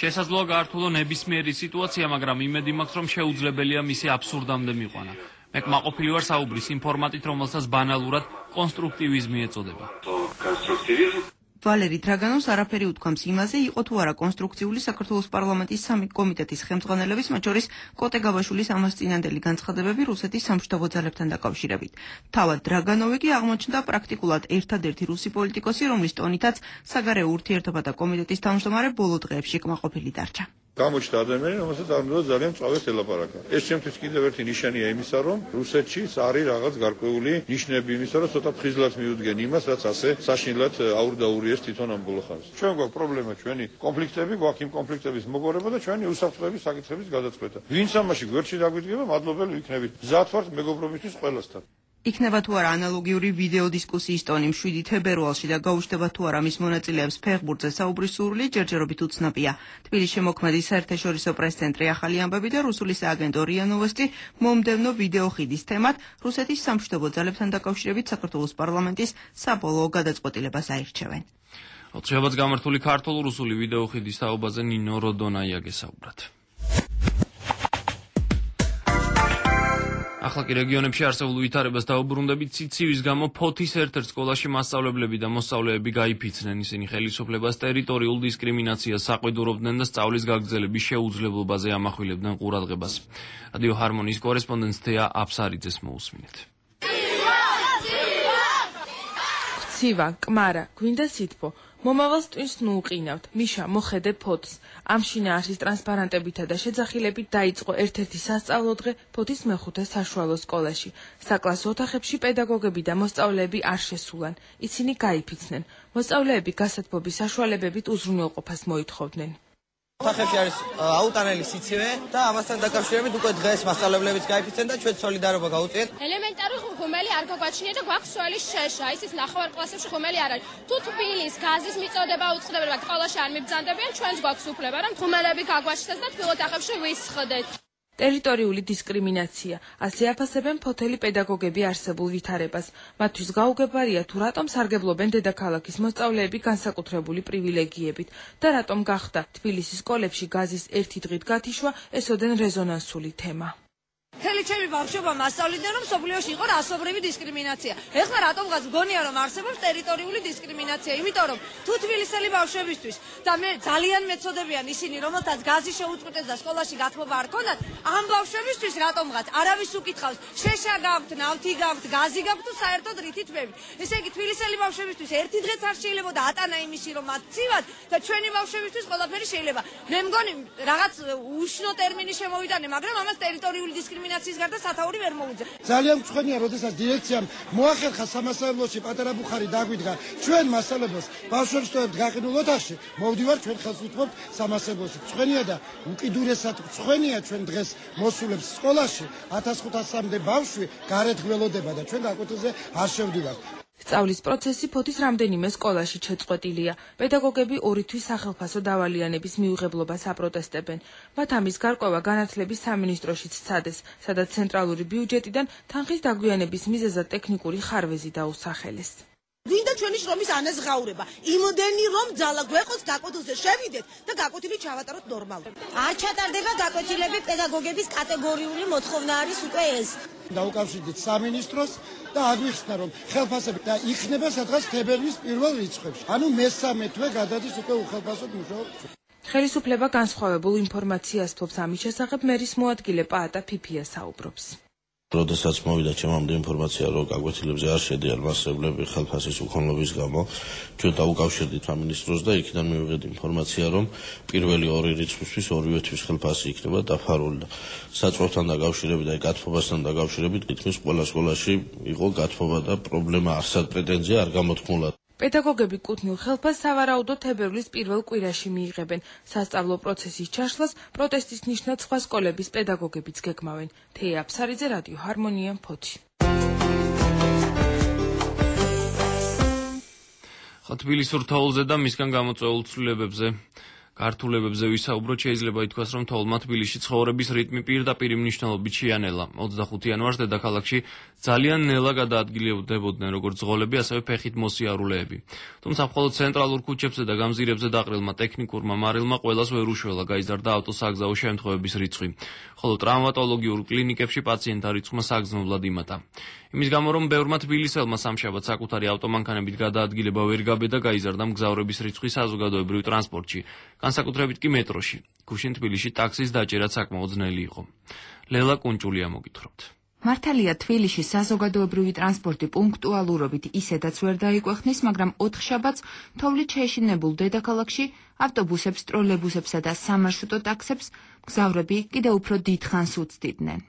შესაძლოა გაართულო ნებისმიერი სიტუაცია, მაგრამ იმედი მაქვს, რომ შეუძლებელია მისი აბსურდამდე მიყვანა. მე კმაყოფილი ვარ საუბრის იმ ფორმატით, რომელსაც ბანალურად კონსტრუქტივიზმი ეწოდება. ვალერი დრაგანოვს არაფერი უთქვამს იმაზე, იყო თუ არა კონსტრუქციული საქართველოს პარლამენტის სამი კომიტეტის ხელმძღვანელების, მათ შორის კოტე გაბაშვილის ამას წინანდელი განცხადებები რუსეთის სამშვიდობო ძალებთან დაკავშირებით. თავად დრაგანოვი კი აღმოჩნდა პრაქტიკულად ერთადერთი რუსი პოლიტიკოსი, რომლის ტონითაც საგარეო ურთიერთობათა კომიტეტის თავმჯდომარე ბოლო დღეებში კმაყოფილი დარჩა. გამოჩნდა ადამიანი, რომელსაც არ უნდა ძალიან წავეს ელაპარაკა. ეს ჩემთვის კიდევ ერთი ნიშანია იმისა, რომ რუსეთში არის რაღაც გარკვეული ნიშნები იმისა, რომ ცოტა ფხიზლად მიუდგენ იმას, რაც ასე საშინლად აურდაურიეს თვითონ ამ ბოლო ხანს. ჩვენ გვაქვს პრობლემა, ჩვენი კონფლიქტები, გვაქვს იმ კონფლიქტების მოგორება და ჩვენი უსაფრთხოების საკითხების გადაწყვეტა. ვინც ამაში გვერდში დაგვიდგება, მადლობელი ვიქნებით. მზად ვართ მეგობრობისთვის ყველასთან. იქნება თუ არა ანალოგიური ვიდეო დისკუსიის ტონი შვიდი თებერვალში და გაუჩნდება თუ არა მის მონაწილეებს ფეხბურთზე საუბრის სურვილი ჯერჯერობით უცნობია. თბილისში მოქმედი საერთაშორისო პრეს-ცენტრი ახალი ამბები და რუსული სააგენტო რია ნოვოსტი მომდევნო ვიდეო ხიდის თემად რუსეთის სამშვიდობო ძალებთან დაკავშირებით საქართველოს პარლამენტის საბოლოო გადაწყვეტილებას აირჩევენ. ოთხშაბათს გამართული ქართულ-რუსული ვიდეო ხიდის თაობაზე ნინო როდონაია გესაუბრათ. ახლა კი რეგიონებში არსებულ ვითარებას დაუბრუნდებით. ციცივის გამო ფოთის ერთ-ერთ სკოლაში მასწავლებლები და მოსწავლეები გაიფიცნენ. ისინი ხელისუფლებას ტერიტორიულ დისკრიმინაციას საყვედურობდნენ და სწავლის გაგრძელების შეუძლებლობაზე ამახვილებდნენ ყურადღებას. რადიო ჰარმონიის კორესპონდენტ თეა აფსარიძეს მოусმინეთ. ცივა, კმარა, გვინდა სითბო. მომავალს ტვინს ნუ უყინავთ. მიშა, მოხედე ფოთს. ამ შინაარსის ტრანსპარანტებითა და შეძახილებით დაიწყო ერთ-ერთი სასწავლო დღე ფოთის მეხუთე საშუალო სკოლაში. საკლასო ოთახებში პედაგოგები და მოსწავლეები არ შესულან. ისინი გაიფიცნენ. მოსწავლეები გასათბობის საშუალებებით უზრუნველყოფას მოითხოვდნენ. ოთახებში არის აუტანელი სიცივე და ამასთან დაკავშირებით უკვე დღეს მასწავლებლებიც გაიფიცნენ და ჩვენ სოლიდარობა გავუწიეთ. ელემენტარული ხუმელი არ გაგვაჩნია და გვაქვს სველი შეშა. ისიც ნახევარ კლასებში ხუმელი არ არის. თუ თბილის გაზის მიწოდება უწყდებოდა სკოლაში არ მიბრძანდებიან, ჩვენც გვაქვს უფლება, რომ ხუმელები გაგვაჩნდეს და თბილ ოთახებში ვისხდეთ. ტერიტორიული დისკრიმინაცია. ასე აფასებენ ფოთელი პედაგოგები არსებულ ვითარებას. მათთვის გაუგებარია თუ რატომ სარგებლობენ დედაქალაქის მოსწავლეები განსაკუთრებული პრივილეგიებით და რატომ გახდა თბილისის სკოლებში გაზის ერთი დღით გათიშვა ესოდენ რეზონანსული თემა. მთელი ჩემი ბავშვობა მასწავლიდნენ, რომ სოფლიოში იყო რასობრივი დისკრიმინაცია. ეხლა რატომღაც მგონია, რომ არსებობს ტერიტორიული დისკრიმინაცია, იმიტომ რომ თუ თბილისელი ბავშვებისთვის და მე ძალიან მეწოდებიან ისინი, რომელთაც გაზი შეუწყვეტეს და სკოლაში გათბობა არ ქონდათ, ამ ბავშვებისთვის რატომღაც არავის უკითხავს, შეშა გაქვთ, ნავთი გაქვთ, გაზი გაქვთ თუ საერთოდ რითი თბებით. ესე იგი თბილისელი ბავშვებისთვის ერთი დღეც არ შეიძლება და ატანა იმისი, რომ მათ ცივად და ჩვენი ბავშვებისთვის ყველაფერი შეიძლება. მე მგონი რაღაც უშნო ტერმინი შემოვიტანე, მაგრამ ამას ტერიტორიული დისკრიმინაცია გარდა სათაური ვერ მოუძებ. ძალიან მწვენია, როდესაც დირექციამ მოახერხა სამასწავლებლოში პატარა ბუხარი დაგვიდგა ჩვენ მასწავლებლებს ბავშვებს ტოვებთ გაყიდულ ოთახში, მოვდივარ ჩვენ ხელს უთმობთ სამასწავლებლოში. მწვენია და უკიდურესად მწვენია ჩვენ დღეს მოსულებს სკოლაში ათას ხუთასამდე ბავშვი გარეთ გველოდება და ჩვენ გაკვეთილზე არ შევდივართ. სწავლის პროცესი ფოთის რამდენიმე სკოლაში შეწყვეტილია. პედაგოგები ორი თვის სახელფასო დავალიანების მიუღებლობას აპროტესტებენ. მათ ამის გარკვევა განათლების სამინისტროშიც სცადეს, სადაც ცენტრალური ბიუჯეტიდან თანხის დაგვიანების მიზეზად ტექნიკური ხარვეზი დაუსახელეს. ვინდა ჩვენი შრომის ანაზღაურება, იმდენი რომ ძალა გვეყოს გაკვეთილზე შევიდეთ და გაკვეთილი ჩავატაროთ ნორმალურად. არ ჩატარდება გაკვეთილები, პედაგოგების კატეგორიული მოთხოვნა არის უკვე ეს. დაუკავშირდით სამინისტროს და აგვიხსნა რომ ხელფასები და იქნება სადღაც თებერვლის პირველ რიცხვებში. ანუ მესამე თვე გადადის უკვე უხელფასოდ მუშაობს. ხელისუფლება განსხვავებულ ინფორმაციას ფლობს ამის შესახებ მერის მოადგილე პაატა ფიფია საუბრობს. როდესაც მოვიდა ჩემამდე ინფორმაცია, რომ გაკვეთილებზე არ შედიან მასწავლებლები ხელფასის უქონლობის გამო, ჩვენ დაუკავშირდით სამინისტროს და იქიდან მივიღეთ ინფორმაცია, რომ პირველი ორი რიცხვისთვის ორივე თვის ხელფასი იქნება დაფარული და საწვავთან დაკავშირებით და გათბობასთან დაკავშირებით თითქმის ყველა სკოლაში იყო გათბობა და პრობლემა არსად პრეტენზია არ გამოთქმულა. პედაგოგები კუთვნილ ხელფასს სავარაუდოდ თებერვლის პირველ კვირაში მიიღებენ. სასწავლო პროცესის ჩაშლას პროტესტის ნიშნად სხვა სკოლების პედაგოგებიც გეგმავენ. თეა აფსარიძე, რადიო ჰარმონია, ფოთი. თბილისურ თოვლზე და მისგან გამოწვეულ ცვლილებებზე ქართულებებზე ვისაუბროთ, შეიძლება ითქვას, რომ თოვლმა თბილისში ცხოვრების რიტმი პირდაპირ მნიშვნელობით შეანელა. ოცდახუთი იანვარს დედაქალაქში ძალიან ნელა გადაადგილებოდნენ როგორც ზღოლები, ასევე ფეხით მოსიარულეები. თუმცა მხოლოდ ცენტრალურ ქუჩებზე და გამზირებზე დაყრილმა ტექნიკურმა მარილმა ყველას ვერ უშველა, გაიზარდა ავტოსაგზაო შემთხვევების რიცხვი, ხოლო ტრავმატოლოგიურ კლინიკებში პაციენტთა რიცხვმა საგრძნობლად იმატა. იმის გამო, რომ ბევრმა თბილისელმა სამშაბათს საკუთარი ავტომანქანებით გადაადგილება ვერ გაბედა, გაიზარდა მგზავრების რიცხვი საზოგადოებრივ ტრანსპორტში, განსაკუთრებით კი მეტროში. გუშინ თბილისში ტაქსის დაჭერაც საკმაოდ ძნელი იყო. ლელა კუნჭულია მოგითხრობთ. მართალია თბილისში საზოგადოებრივი ტრანსპორტი პუნქტუალურობით ისედაც ვერ დაიკვეხნის, მაგრამ ოთხშაბათს თოვლით შეშინებულ დედაქალაქში ავტობუსებს, ტროლეიბუსებსა და სამარშრუტო ტაქსებს მგზავრები კიდევ უფრო დიდხანს უცდიდნენ.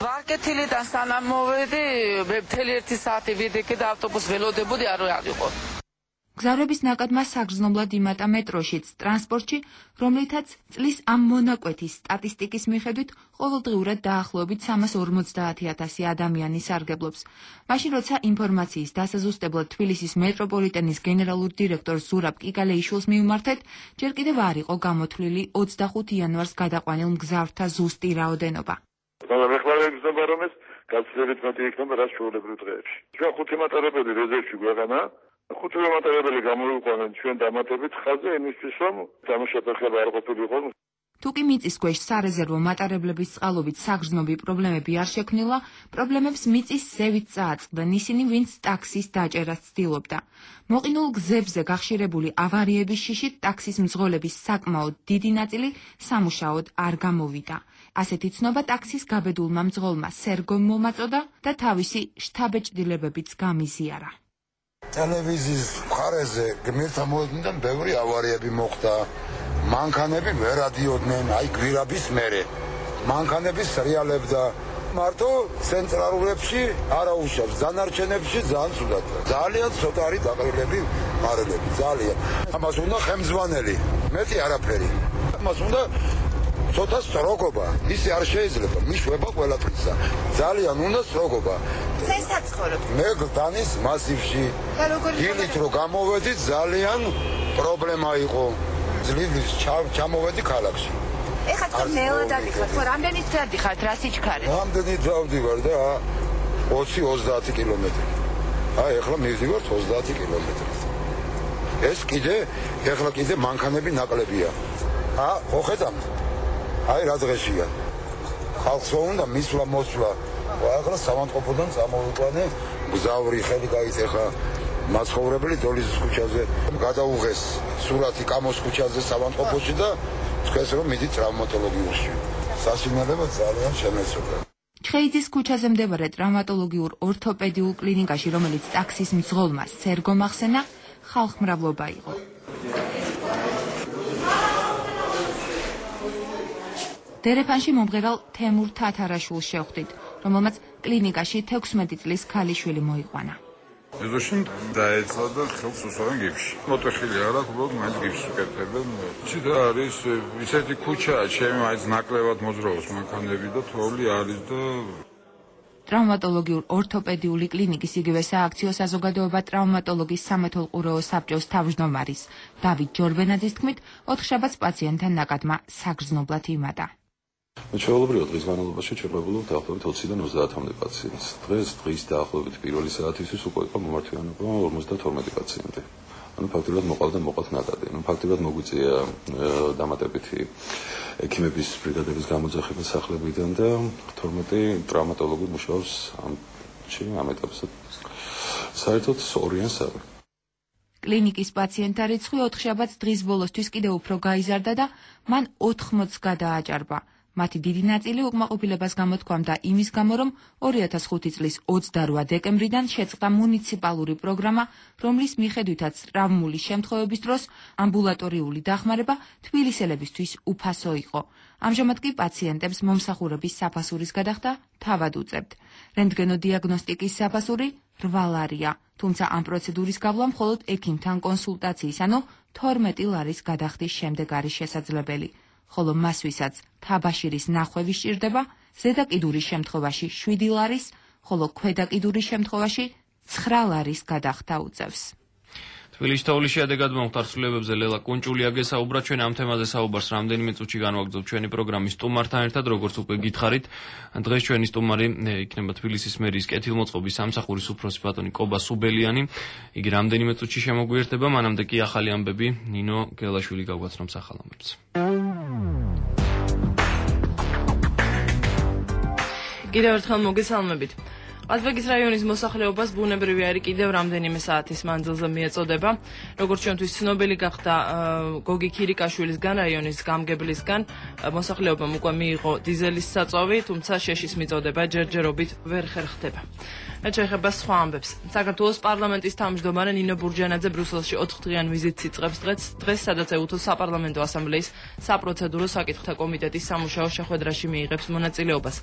ვაკეთილიდან სანამ მოვედი, მე მთელი ერთი საათი ვიდექე და ავტობუსს ველოდებოდი, არ ვიყო. მგზავრების ნაკადმა საგრძნობლად იმატა მეტროშიც, ტრანსპორტში, რომლითაც წლის ამ მონაკვეთის სტატისტიკის მიხედვით ყოველდღიურად დაახლოებით სამას ორმოცდაათი ათასი ადამიანი სარგებლობს. მაშინ როცა ინფორმაციის დასაზუსტებლად თბილისის მეტროპოლიტენის გენერალურ დირექტორ ზურაბ კიკალეიშვილს მივმართეთ, ჯერ კიდევ არ იყო გამოთვლილი ოცდახუთი იანვარს გადაყვანილ მგზავრთა ზუსტი რაოდენობა. მაგრამ ეხლა იგრძნობა, რომ ეს გაცილებით მეტი იქნება რაც ჩვეულებრივ დღეებში. ჩვენ ხუთი მატარებელი რეზერვში გვეყანა. ხუთი მატარებელი გამოვიყვანეთ ჩვენ დამატებით ხაზზე იმისთვის, რომ დამუშავება ხება არ ყოფილიყო. თუკი მიწის ქვეშ სარეზერვო მატარებლების წყალობით საგრძნობი პრობლემები არ შექმნილა, პრობლემებს მიწის ზევით წააწყდნენ ისინი, ვინც ტაქსის დაჭერას ცდილობდა. მოყინულ გზებზე გახშირებული ავარიების შიშით ტაქსის მძღოლების საკმაოდ დიდი ნაწილი სამუშაოდ არ გამოვიდა. ასეთი ცნობა ტაქსის გაბედულმა მძღოლმა სერგომ მომაწოდა და თავისი შთაბეჭდილებებიც გამიზიარა. ტელევიზიის მხარეზე გმირთა მოედნიდან ბევრი ავარიები მოხდა. მანქანები ვერ ადიოდნენ, აი გვირაბის მერე. მანქანები სრიალებდა. მარტო ცენტრალურებში არა უშავს, დანარჩენებში ძალიან ცუდად. ძალიან ცოტა არის დაყრილები, მარელები, ძალიან. ამას უნდა ხემძვანელი, მეტი არაფერი. ამას უნდა ცოტა სტროგობა, ისი არ შეიძლება, მიშვება ყველაფრისა. ძალიან უნდა სტროგობა. წესაც ხორობ. მე გდანის მასივში. დილით რო გამოვედი, ძალიან პრობლემა იყო. ძლივს ჩამოვედი ქალაქში. ეხლა თქვენ მელა დადიხართ, ხო, რამდენით დადიხართ, რა სიჩქარე? რამდენით დავდივარ და ოცი ოცდაათი კილომეტრი. აი, ეხლა მივდივართ ოცდაათი კილომეტრი. ეს კიდე, ეხლა კიდე მანქანები ნაკლებია. ა, ხო ხედავთ? აი, რა დღეშია. ხალხს უნდა მისვლა მოსვლა. ახლა სამანტყოფოდან წამოვიყვანე, გზავრი ხელი გაიწეხა. მაცხოვრებელი დოლიზის ქუჩაზე გადაუღეს სურათი კამოს ქუჩაზე სამანტყოფოში და თქვენს რომ მიდით ტრავმატოლოგიურში. საშინელება ძალიან შემეცოდა. ჩხეიძის ქუჩაზე მდებარე ტრავმატოლოგიურ ორთოპედიულ კლინიკაში, რომელიც ტაქსის მძღოლმა სერგომ ახსენა, ხალხმრავლობა იყო. დერეფანში მომღერალ თემურ თათარაშვილს შევხვდით, რომელმაც კლინიკაში თექვსმეტი წლის ქალიშვილი მოიყვანა. ეზოში დაეცვა და ხელს უსვამენ გიფში. მოტეხილი არ აქვს, უბრალოდ მაინც გიფს უკეთებენ. ჩიტა არის ისეთი ქუჩაა, ჩემი მაინც ნაკლებად მოძრაობს მანქანები და თოვლი არის და ტრავმატოლოგიურ ორთოპედიული კლინიკის იგივე სააქციო საზოგადოება ტრავმატოლოგის სამეთვალყურეო საბჭოს თავმჯდომარის დავით ჯორბენაძის თქმით, ოთხშაბათს პაციენტთან ნაკადმა საგრძნობლად იმატა. ჩვეულებრივად დღის განმავლობაში ჩვენ ვებულობთ დაახლოებით ოციდან ოცდაათამდე პაციენტს. დღეს დღის დაახლოებით პირველი საათისთვის უკვე იყო მომართვიანობა ორმოცდათორმეტი პაციენტი. ანუ ფაქტობრივად მოყავდა მოყავთ ნაკადი. ანუ ფაქტობრივად მოგვიწია დამატებითი ექიმების ბრიგადების გამოძახება სახლებიდან და თორმეტი ტრავმატოლოგი მუშაობს ამ ამ ეტაპზე. საერთოდ ორიან სამი. კლინიკის პაციენტთა რიცხვი ოთხშაბათს დღის ბოლოსთვის კიდევ უფრო გაიზარდა და მან ოთხმოცს გადააჭარბა. მათი დიდი ნაწილი უკმაყოფილებას გამოთქვამდა იმის გამო, რომ ორი ათას ხუთი წლის ოცდარვა დეკემბრიდან შეწყდა მუნიციპალური პროგრამა, რომლის მიხედვითაც ტრავმული შემთხვევების დროს ამბულატორიული დახმარება თბილისელებისთვის უფასო იყო. ამჟამად კი პაციენტებს მომსახურების საფასურის გადახდა თავად უწევთ. რენტგენოდიაგნოსტიკის საფასური რვა ლარია, თუმცა ამ პროცედურის გავლა მხოლოდ ექიმთან კონსულტაციის, ანუ თორმეტი ლარის გადახდის შემდეგ არის შესაძლებელი. ხოლო მას ვისაც თაბაშირის ნახვევი სჭირდება, ზედა კიდურის შემთხვევაში შვიდი ლარის, ხოლო ქვედა კიდურის შემთხვევაში ცხრა ლარის გადახდა უწევს. თბილისში თოვლის შედეგად მომხდარსულებებზე ლელა კუნჭულია გესაუბრა. ჩვენ ამ თემაზე საუბარს რამდენიმე წუთში განვაგრძობთ ჩვენი პროგრამის სტუმართან ერთად, როგორც უკვე გითხარით. დღეს ჩვენი სტუმარი იქნება თბილისის მერიის კეთილმოწყობის სამსახურის უფროსი ბატონი კობა სუბელიანი. იგი რამდენიმე წუთში შემოგვიერთდება, მანამდე კი ახალი ამბები ნინო გელაშვილი გაგვაცნობს ახალ ამბებს. კიდევ ერთხელ მოგესალმებით. ყაზბეგის რაიონის მოსახლეობას ბუნებრივი აირი კიდევ რამდენიმე საათის მანძილზე მიეწოდება. როგორც ჩვენთვის ცნობილი გახდა გოგი ქირიკაშვილისგან, რაიონის გამგებლისგან, მოსახლეობამ უკვე მიიღო დიზელის საწვავი, თუმცა შეშის მიწოდება ჯერჯერობით ვერ ხერხდება. რაც შეეხება სხვა ამბებს. საქართველოს პარლამენტის თავმჯდომარე ნინო ბურჯანაძე ბრიუსელში ოთხდღიან ვიზიტს იწყებს დღეს, დღეს სადაც ეუთოს საპარლამენტო ასამბლეის საპროცედურო საკითხთა კომიტეტის სამუშაო შეხვედრაში მიიღებს მონაწილეობას.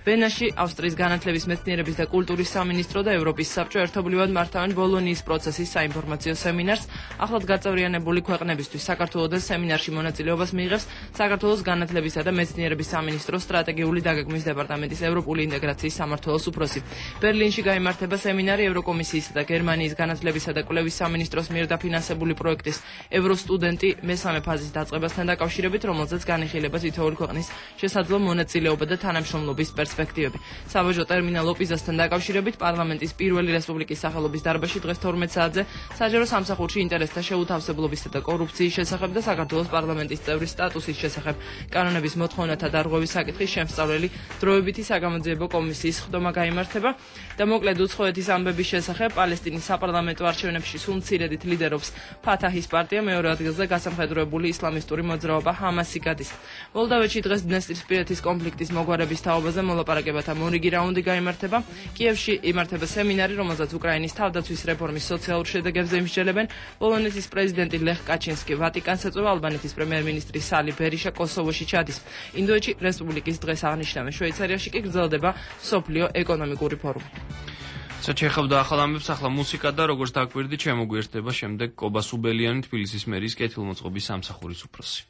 ვენაში ავსტრიის განათლების მეცნიერების და კულტურის სამინისტრო და ევროპის საბჭო ერთობლივად მართავენ ბოლონიის პროცესის საინფორმაციო სემინარს. ახლად გაწევრიანებული ქვეყნებისთვის საქართველოს სემინარში მონაწილეობას მიიღებს საქართველოს განათლებისა და მეცნიერების სამინისტროს სტრატეგიული დაგეგმვის დეპარტამენტის ევროპული ინტეგრაციის სამმართველოს უფროსი. ბერლინში გაიმართება სემინარი ევროკომისიისა და გერმანიის განათლებისა და კვლევის სამინისტროს მიერ დაფინანსებული პროექტის ევროსტუდენტი მესამე ფაზის დაწყებასთან დაკავშირებით, რომელზეც განიხილება თითოეული ქვეყნის შესაძლო მონაწილეობა და თანამშრომლობის პერსპექტივები. საბაჟო ტერმინალ ოპიზასთან დაკავშირებით პარლამენტის პირველი რესპუბლიკის სახელობის დარბაზში დღეს თორმეტ საათზე საჯარო სამსახურში ინტერესთა შეუთავსებლობისა და კორუფციის შესახებ და საქართველოს პარლამენტის წევრის სტატუსის შესახებ კანონების მოთხოვნათა დარღვევის საკითხის შემსწავლელი დროებითი საგამოძიებო კომისიის ხდომა გაიმართება და მოკლედ უცხოეთის ამბების შესახებ პალესტინის საპარლამენტო არჩევნებში სულ მცირედით ლიდერობს ფათაჰის პარტია, მეორე ადგილზე გასამხედროებული ისლამისტური მოძრაობა ჰამასი გადის. მოლდოვეთში დღეს დნესტრისპირეთის კონფლიქტის მოგვარების თაობაზე მოლაპარაკებათა მორიგი რაუნდი გაიმართება. კიევში იმართება სემინარი, რომელზეც უკრაინის თავდაცვის რეფორმის სოციალურ შედეგებზე იმსჯელებენ. პოლონეთის პრეზიდენტი ლეხ კაჩინსკი ვატიკანს ეწვევა, ალბანეთის პრემიერ-მინისტრი სალი ბერიშა კოსოვოში ჩადის. ინდოეთში რესპუბლიკის დღეს აღნიშნავენ. შვეიცარიაში კი გრძელდება მსოფლიო ეკონომიკური ფორუმი. საჩეხავდა ახალ ამბებს, ახლა მუსიკა და როგორც დაკვირდი, შემოგვიერთდება შემდეგ კობა სუბელიანი, თბილისის მერის კეთილმოწყობის სამსახურის უფროსი.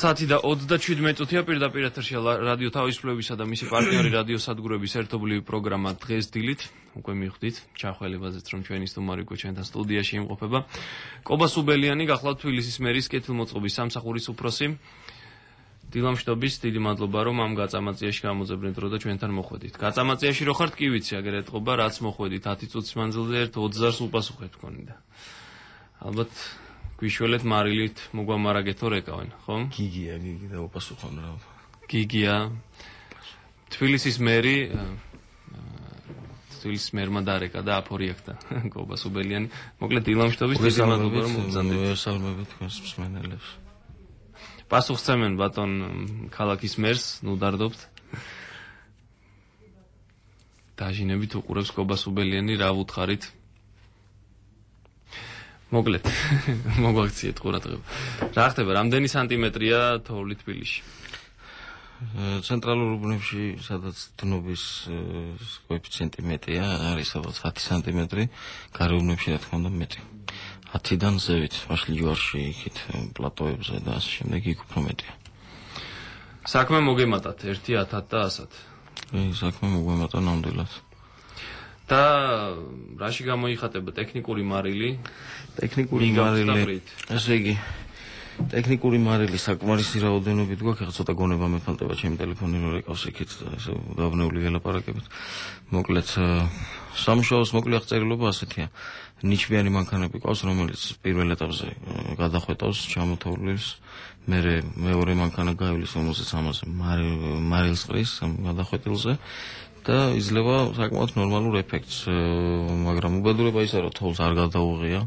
საათი და ოცდაშვიდი წუთია პირდაპირ ეთერში რადიო თავისუფლებისა და მისი პარტნიორი რადიო სადგურების ერთობლივი პროგრამა დღეს დილით. უკვე მიხვდით ჩახველებაზეც, რომ ჩვენი სტუმარი უკვე ჩვენთან სტუდიაში იმყოფება. კობა სუბელიანი გახლავთ თბილისის მერის კეთილმოწყობის სამსახურის უფროსი. დილამშვიდობის, დიდი მადლობა, რომ ამ გაწამაწიაში გამოძებნეთ დრო და ჩვენთან მოხვედით. გაწამაწიაში რო ხართ, კი ვიცი, აგერ ეთყობა, რაც მოხვედით ათი წუთის მანძილზე ერთ ოცდაას უპასუხეთ თქვენდა. ალბათ გვიშველეთ მარილით მოგვამარაგეთო რეკავენ, ხო? გიგია, გიგი და უპასუხონ რა. გიგია. თბილისის მერი თბილისის მერმა დარეკა და აფორიექტა კობა სუბელიანი. მოკლედ დილამშვიდობის, დიდი მადლობა, რომ მოგზავნეთ. ვესალმებით თქვენს მსმენელებს. პასუხსცემენ ბატონ ქალაქის მერს, ნუ დარდობთ. დაჟინებით უყურებს კობა სუბელიანი, რა ვუთხარით? მოკლედ, მოგვაქციეთ ყურადღება. რა ხდება, რამდენი სანტიმეტრია თოვლი თბილისში? ცენტრალურ უბნებში, სადაც დნობის კოეფიციენტი მეტია, არის ალბათ ათი სანტიმეტრი, გარე უბნებში რა თქმა უნდა მეტი. ათიდან ზევით, ვაშლი ჯვარში, იქით პლატოებზე და ასე შემდეგ იქ უფრო მეტია. საქმე მოგემატათ ერთი ათად და ასად. ეს საქმე მოგვემატა ნამდვილად. და რაში გამოიხატება ტექნიკური მარილი? ტექნიკური მარილი. ესე იგი ტექნიკური მარილი საკმარისი რაოდენობით გვაქვს, ახლა ცოტა გონება მეფანტება ჩემი ტელეფონი რო რეკავს იქით, ესე დავნეული ელაპარაკებით. მოკლედ სამშაბათს მოკლე აღწერილობა ასეთია. ნიჩბიანი მანქანები ყავს, რომელიც პირველ ეტაპზე გადახვეტავს ჩამოთოვლის, მერე მეორე მანქანა გაივლის, რომელსაც ამაზე მარილს ყრის გადახვეტილზე და იძლევა საკმაოდ ნორმალურ ეფექტს, მაგრამ უბედურება ისაა, რომ თოვლს არ გადაუღია.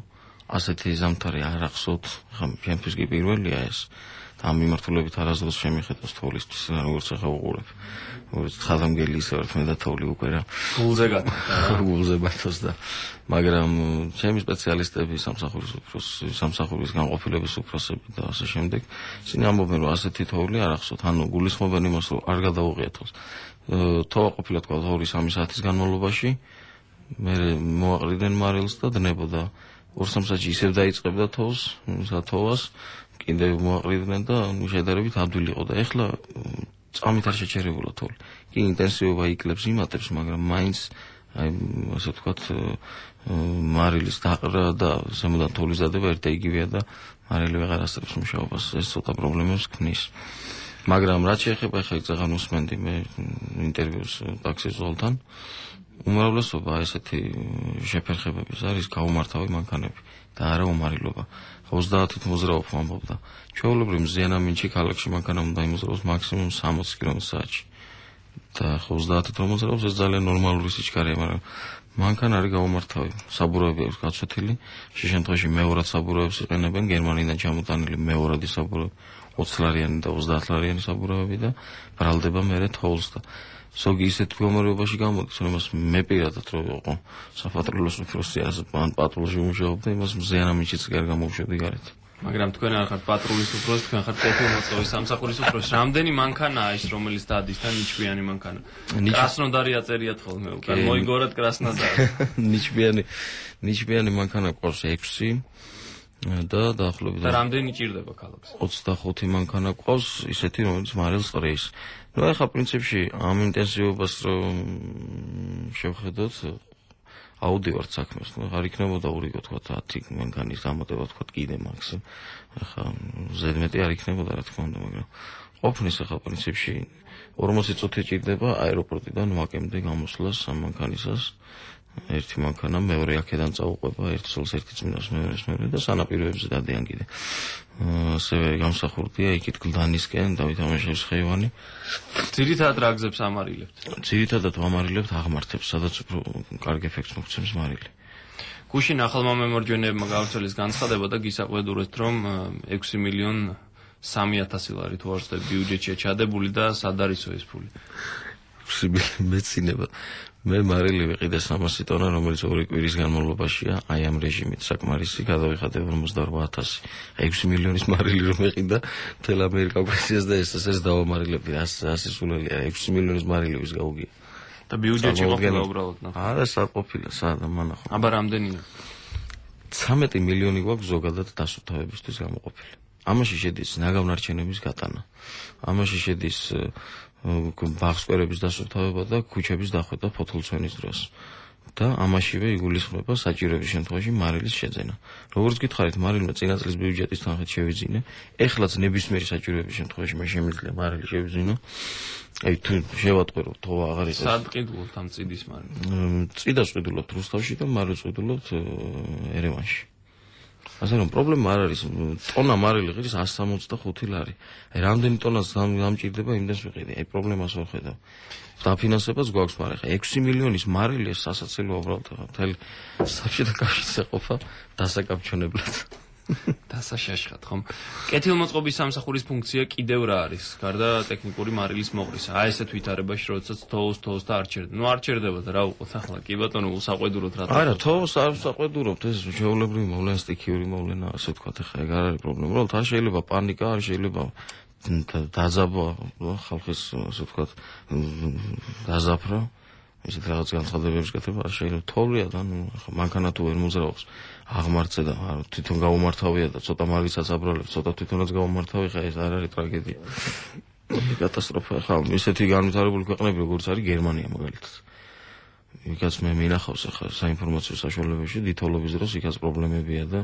ასეთი ზამთარი არ ახსოვთ, ხა ჩემთვის კი პირველია ეს. და ამ მიმართულებით არასდროს შემიხედავს თოვლისთვის, როგორც ახლა უყურებ. როგორც ხალხამგელი ისე ვართ მე და თოვლი უკვე რა. გულზე გათა. გულზე ბათოს და მაგრამ ჩემი სპეციალისტები სამსახურის უფროსი, სამსახურის განყოფილების უფროსები და ასე შემდეგ, ისინი ამბობენ, რომ ასეთი თოვლი არ ახსოვთ, ანუ გულისხმობენ იმას, რომ არ გადაუღია თოვლს. თოვა ყოფილა თქვა ორი სამი საათის განმავლობაში, მე მოაყრიდნენ მარილს და დნებოდა. ორ სამ საათში ისევ დაიწყებდა თოვს, სათოვას, კიდევ მოაყრიდნენ და შედარებით ადვილი იყო და ეხლა წამით არ შეჩერებულა თოვლი. კი ინტენსივობა იკლებს იმატებს, მაგრამ მაინც აი ასე ვთქვათ მარილის დაყრა და ზემოდან თოვლის დადება ერთ და იგივეა და მარილი ვეღარ ასწრებს მუშაობას, ეს ცოტა პრობლემებს ქმნის. მაგრამ რაც შეეხება ხა ეხლა უსმენდი მე ინტერვიუს ტაქსის ზოლთან. უმრავლესობა ესეთი შეფერხებების არის გაუმართავი მანქანები და არა უმარილობა. ოცდაათით მოძრაობ ამბობდა. ჩვეულებრივ მზიანამინჩი ქალაქში მანქანა უნდა იმოძრაოს მაქსიმუმ სამოცი კილომეტრ საათში. და ოცდაათით რომ მოძრაობს ეს ძალიან ნორმალური სიჩქარეა, მაგრამ მანქანა არის გაუმართავი. საბურავები აქვს გაცვეთილი, შე შემთხვევაში მეორად საბურავებს იყენებენ გერმანიიდან ჩამოტანილი მეორადი საბურავი, ოცი ლარიანი და ოცდაათ ლარიანი საბურავები და ბრალდება მერე თოვლს და ზოგი ისეთ მდგომარეობაში გამოდის, რომ მას მე პირადად რო ვიყო საფატრულოს უფროსი ან პატრულში ვმუშაობდი, იმას მზიანამინჩიც კი არ გამოვშვედი გარეთ. მაგრამ თქვენ არ ხართ პატრულის უფროსი, თქვენ ხართ ტექნოლოგიის სამსახურის უფროსი. რამდენი მანქანაა ის, რომელიც დადის და ნიჩბიანი მანქანა? კრასნოდარი აწერიათ ხოლმე უკან. მოიგორეთ კრასნოდარი. ნიჩბიანი ნიჩბიანი მანქანა ყავს ექვსი და დაახლოებით და რამდენი ჭირდება ქალაქს? ოცდახუთი მანქანა ყავს, ისეთი რომელიც მარილს ყრის. ну ახლა პრინციპში ამ ინტენსივობას რომ შევხედოთ აუდივარ საქმეს, ну არ იქნებოდა ურიგო თქვა ათი მანქანის დამატება თქვა კიდე მაქსიმ. ახლა ზედმეტი არ იქნებოდა რა თქმა უნდა, მაგრამ ყოფნის ახლა პრინციპში ორმოცი წუთი ჭირდება აეროპორტიდან ვაკემდე გამოსვლას ამ მანქანისას. ერთი მანქანა მეორე აქედან წაუყვება, ერთ სულს ერთი წმინდას მეორეს მეორე და სანაპიროებზე დადიან კიდე. ასევე გამსახურდია იქით გლდანისკენ დავით ამაშევის ხეივანი. ძირითადად რა გზებს ამარილებთ? ძირითადად ვამარილებთ აღმართებს, სადაც უფრო კარგ ეფექტს მოგცემს მარილი. გუშინ ახალმა მემორჯენეებმა გავრცელეს განცხადება და გისაყვედურეთ, რომ ექვსი მილიონ სამი ათასი ლარი თუ არ ვცდები ბიუჯეტშია ჩადებული და სად არისო ეს ფული? ექვსი მილიონ მეცინება. მე მარილი ვიყიდე სამასი ტონა, რომელიც ორი კვირის განმავლობაშია, აი ამ რეჟიმით საკმარისი, გადავიხადე ორმოცდაორბა ათასი. ექვსი მილიონის მარილი რომ ეყიდა, მთელ ამერიკას და ეს ეს დავამარილებდი, ასი სულელი, ექვსი მილიონის მარილი ვის გაუგია. და ბიუჯეტში ყოფილა უბრალოდ ნახე. არა, სად ყოფილა, სადა მანახო. აბა რამდენია? ცამეტი მილიონი გვაქვს ზოგადად დასუფთავებისთვის გამოყოფილი. ამაში შედის ნაგავნარჩენების გატანა. ამაში შედის ბაღსკვერების დასუფთავება და ქუჩების დახვეთა ფოთოლცვენის დროს. და ამაშივე იგულისხმება საჭიროების შემთხვევაში მარილის შეძენა. როგორც გითხარით, მარილმა წინა წლის ბიუჯეტის თანხით შევიძინე, ეხლაც ნებისმიერი საჭიროების შემთხვევაში მე შემიძლია მარილი შევიძინო. აი თუ შევატყვირო თოვა აღარ იყოს. სად ყიდულობთ ამ წიდის მარილს? წიდას ყიდულობთ რუსთავში და მარილს ყიდულობთ ერევანში. ასე რომ პრობლემა არ არის, ტონა მარილი ღირს εκατს სამოცდახუთი ლარი. აი რამდენი ტონას გამჭირდება იმდენს ვიყიდე. აი პრობლემას ვერ ხედავ. დაფინანსებაც გვაქვს, მაგრამ ხა ექვსი მილიონის მარილი ეს სასაცილოა უბრალოდ ხა მთელი საბჭოთა კავშირს ეყოფა დასაკავშირებლად. დასაშაშხად ხომ? კეთილმოწყობის სამსახურის ფუნქცია კიდევ რა არის? გარდა ტექნიკური მარილის მოყრისა. აი ესეთ ვითარებაში, როდესაც თოვს თოვს და არ ჩერდება. ნუ არ ჩერდება და რა უყოთ ახლა? კი ბატონო, უსაყვედუროთ რა. არა, თოვს არ უსაყვედურობთ, ეს შეულებრივი მოვლენა, სტიქიური მოვლენა, ასე ვთქვათ, ახლა ეგ არ არის პრობლემა. უბრალოდ არ შეიძლება პანიკა, არ შეიძლება დაზაბვა ხალხის, ასე ვთქვათ, დაზაფრა. ისეთ რაღაც განცხადებებს გაკეთება არ შეიძლება. თოვლია და ნუ ახლა მანქანა თუ ვერ მოძრაობს აღმართზე და თვითონ გაუმართავია და ცოტა მარილსაც აბრალებს, ცოტა თვითონაც გაუმართავი, ხა ეს არ არის ტრაგედია. კატასტროფა ხა ისეთი განვითარებული ქვეყნები როგორც არის გერმანია მაგალითად. იქაც მე მინახავს ახლა საინფორმაციო საშუალებებში დიდოლობის დროს იქაც პრობლემებია და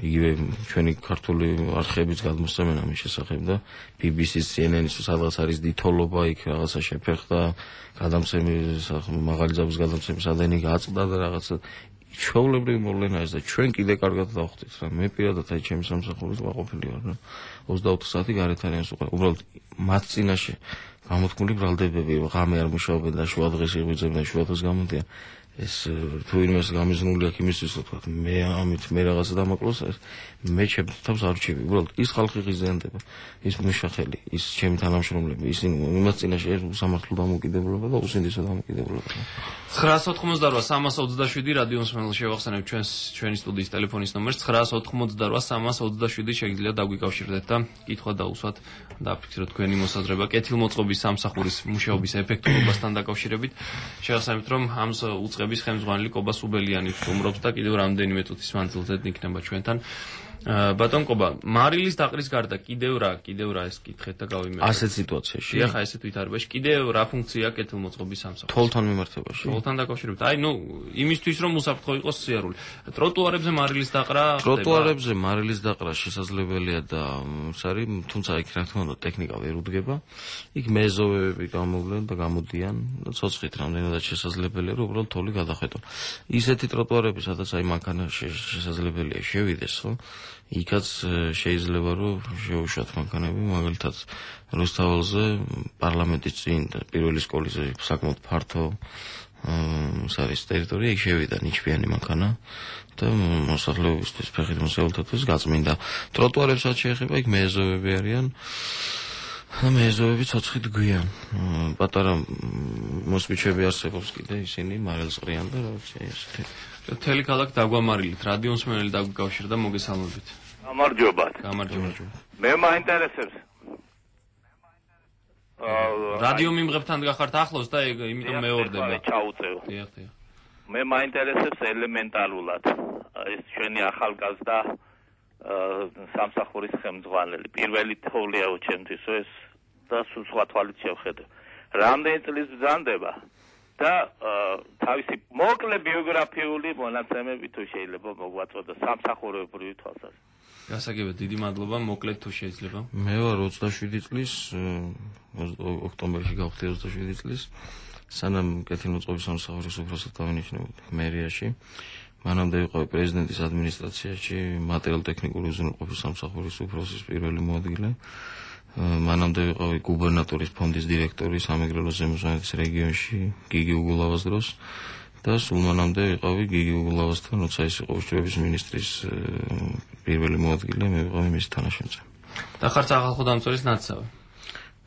იგივე ჩვენი ქართული არხებიც გადმოსცემენ ამის შესახებ და ბი ბი სი-ს C N N-ის სადღაც არის დიდოლობა იქ რაღაცა შეფერხდა გადამცემის მაღალი ძაბვის გადამცემის ადენი გაწყდა და რაღაცა ჩვეულებრივი მოვლენა ეს და ჩვენ კიდე კარგად დავხვდით რა მე პირადად აი ჩემი სამსახურის ვაყოფილი ვარ რა ოცდაოთხ საათი გარეთ არიან უკვე უბრალოდ მათ წინაშე გამოთქმული ბრალდებები ღამე არ მუშაობენ და შუადღეს იღვიძებენ შუადღეს გამოდიან ეს თუ იმას გამიზნული აქვს იმისთვის ვთქვათ მე ამით მე რაღაცა დამაკლოს მე ჩემ თავს არ ვჩები უბრალოდ ის ხალხი ღიზიანდება ის მუშახელი ის ჩემი თანამშრომლები ისინი იმას წინაშე ეს სამართლო დამოკიდებულება და უსინდისო დამოკიდებულება ცხრაას ოთხმოცდარვა სამას ოცდაშვიდი რადიო მსმენელს შევახსენებ ჩვენს ჩვენი სტუდიის ტელეფონის ნომერს ცხრაას ოთხმოცდარვა სამას ოცდაშვიდი შეგიძლიათ დაგვიკავშირდეთ და კითხვა დაუსვათ დააფიქსიროთ თქვენი მოსაზრება კეთილმოწყობის სამსახურის მუშაობის ეფექტურობასთან დაკავშირებით შევახსენებთ რომ ამ უწყების ხელმძღვანელი კობა სუბელიანი სტუმრობს და კიდევ რამდენიმე წუთის მანძილზე იქნება ჩვენთან ბატონ კობა მარილის დაყრის გარდა კიდევ რა კიდევ რა ეს კითხეთ და გავიმეორებ ასეთ სიტუაციაში ახლა ესეთ ვითარებაში კიდევ რა ფუნქცია კეთილმოწყობის სამსახურში თოლთან მიმართებაში თოლთან დაკავშირებით აი ნუ იმისთვის რომ უსაფრთხო იყოს სიარული ტროტუარებზე მარილის დაყრა ტროტუარებზე მარილის დაყრა შესაძლებელია და ის არის თუმცა იქ რა თქმა უნდა ტექნიკა ვერ უდგება იქ მეზოვეები გამოვლენ და გამოდიან და ცოცხლით რამდენადაც შესაძლებელია რომ უბრალოდ თოლი გადახვეტონ ისეთი ტროტუარები სადაც აი მანქანა შესაძლებელია შევიდეს ხო იქაც შეიძლება რომ შეუშვათ მანქანები მაგალითად რუსთაველზე პარლამენტის წინ და პირველი სკოლის საკმაოდ ფართო ის არის ტერიტორია იქ შევიდა ნიჩბიანი მანქანა და მოსახლეობისთვის ფეხით მოსავალთათვის გაწმინდა ტროტუარებსაც შეეხება იქ მეზოვეები არიან და მეზოვეები ცოცხლით გვიან პატარა მოსვიჩები არსებობს კიდე ისინი მარილს ყრიან და რაღაცა ესეთი მთელი ქალაქი დაგვამარილით რადიო მსმენელი დაგვიკავშირდა მოგესალმებით გამარჯობათ გამარჯობა მე მაინტერესებს რადიო მიმღებთან გახართ ახლოს და იმიტომ მეორდება ჩაუწევ დიახ დიახ მე მაინტერესებს ელემენტარულად ეს ჩვენი ახალგაზრდა სამსახურის ხელმძღვანელი პირველი თოვლია ჩემთვის ეს და სხვა თვალით შევხედე რამდენი წლის ბრძანდება და თავისი მოკლე ბიოგრაფიული მონაცემები თუ შეიძლება მოგვაწოდო სამსახურებრივი თვალსაზრისით. გასაგებად დიდი მადლობა, მოკლედ თუ შეიძლება. მე ვარ ოცდაშვიდი წლის ოქტომბერში გავხდი ოცდაშვიდი წლის სანამ კეთილმოწყობის სამსახურის უფროსად დავინიშნებოდი მერიაში. მანამდე ვიყავი პრეზიდენტის ადმინისტრაციაში მატერიალურ-ტექნიკური უზრუნველყოფის სამსახურის უფროსის პირველი მოადგილე. მანამდე ვიყავი გუბერნატორის ფონდის დირექტორი სამეგრელოს ზემო სვანეთის რეგიონში გიგი უგულავას დროს და სულ მანამდე ვიყავი გიგი უგულავასთან, როცა ის იყო უშუალობის მინისტრის პირველი მოადგილე, მე ვიყავი მის თანაშემწე. და ხართ სახალხო დამცველის ნაცსავი.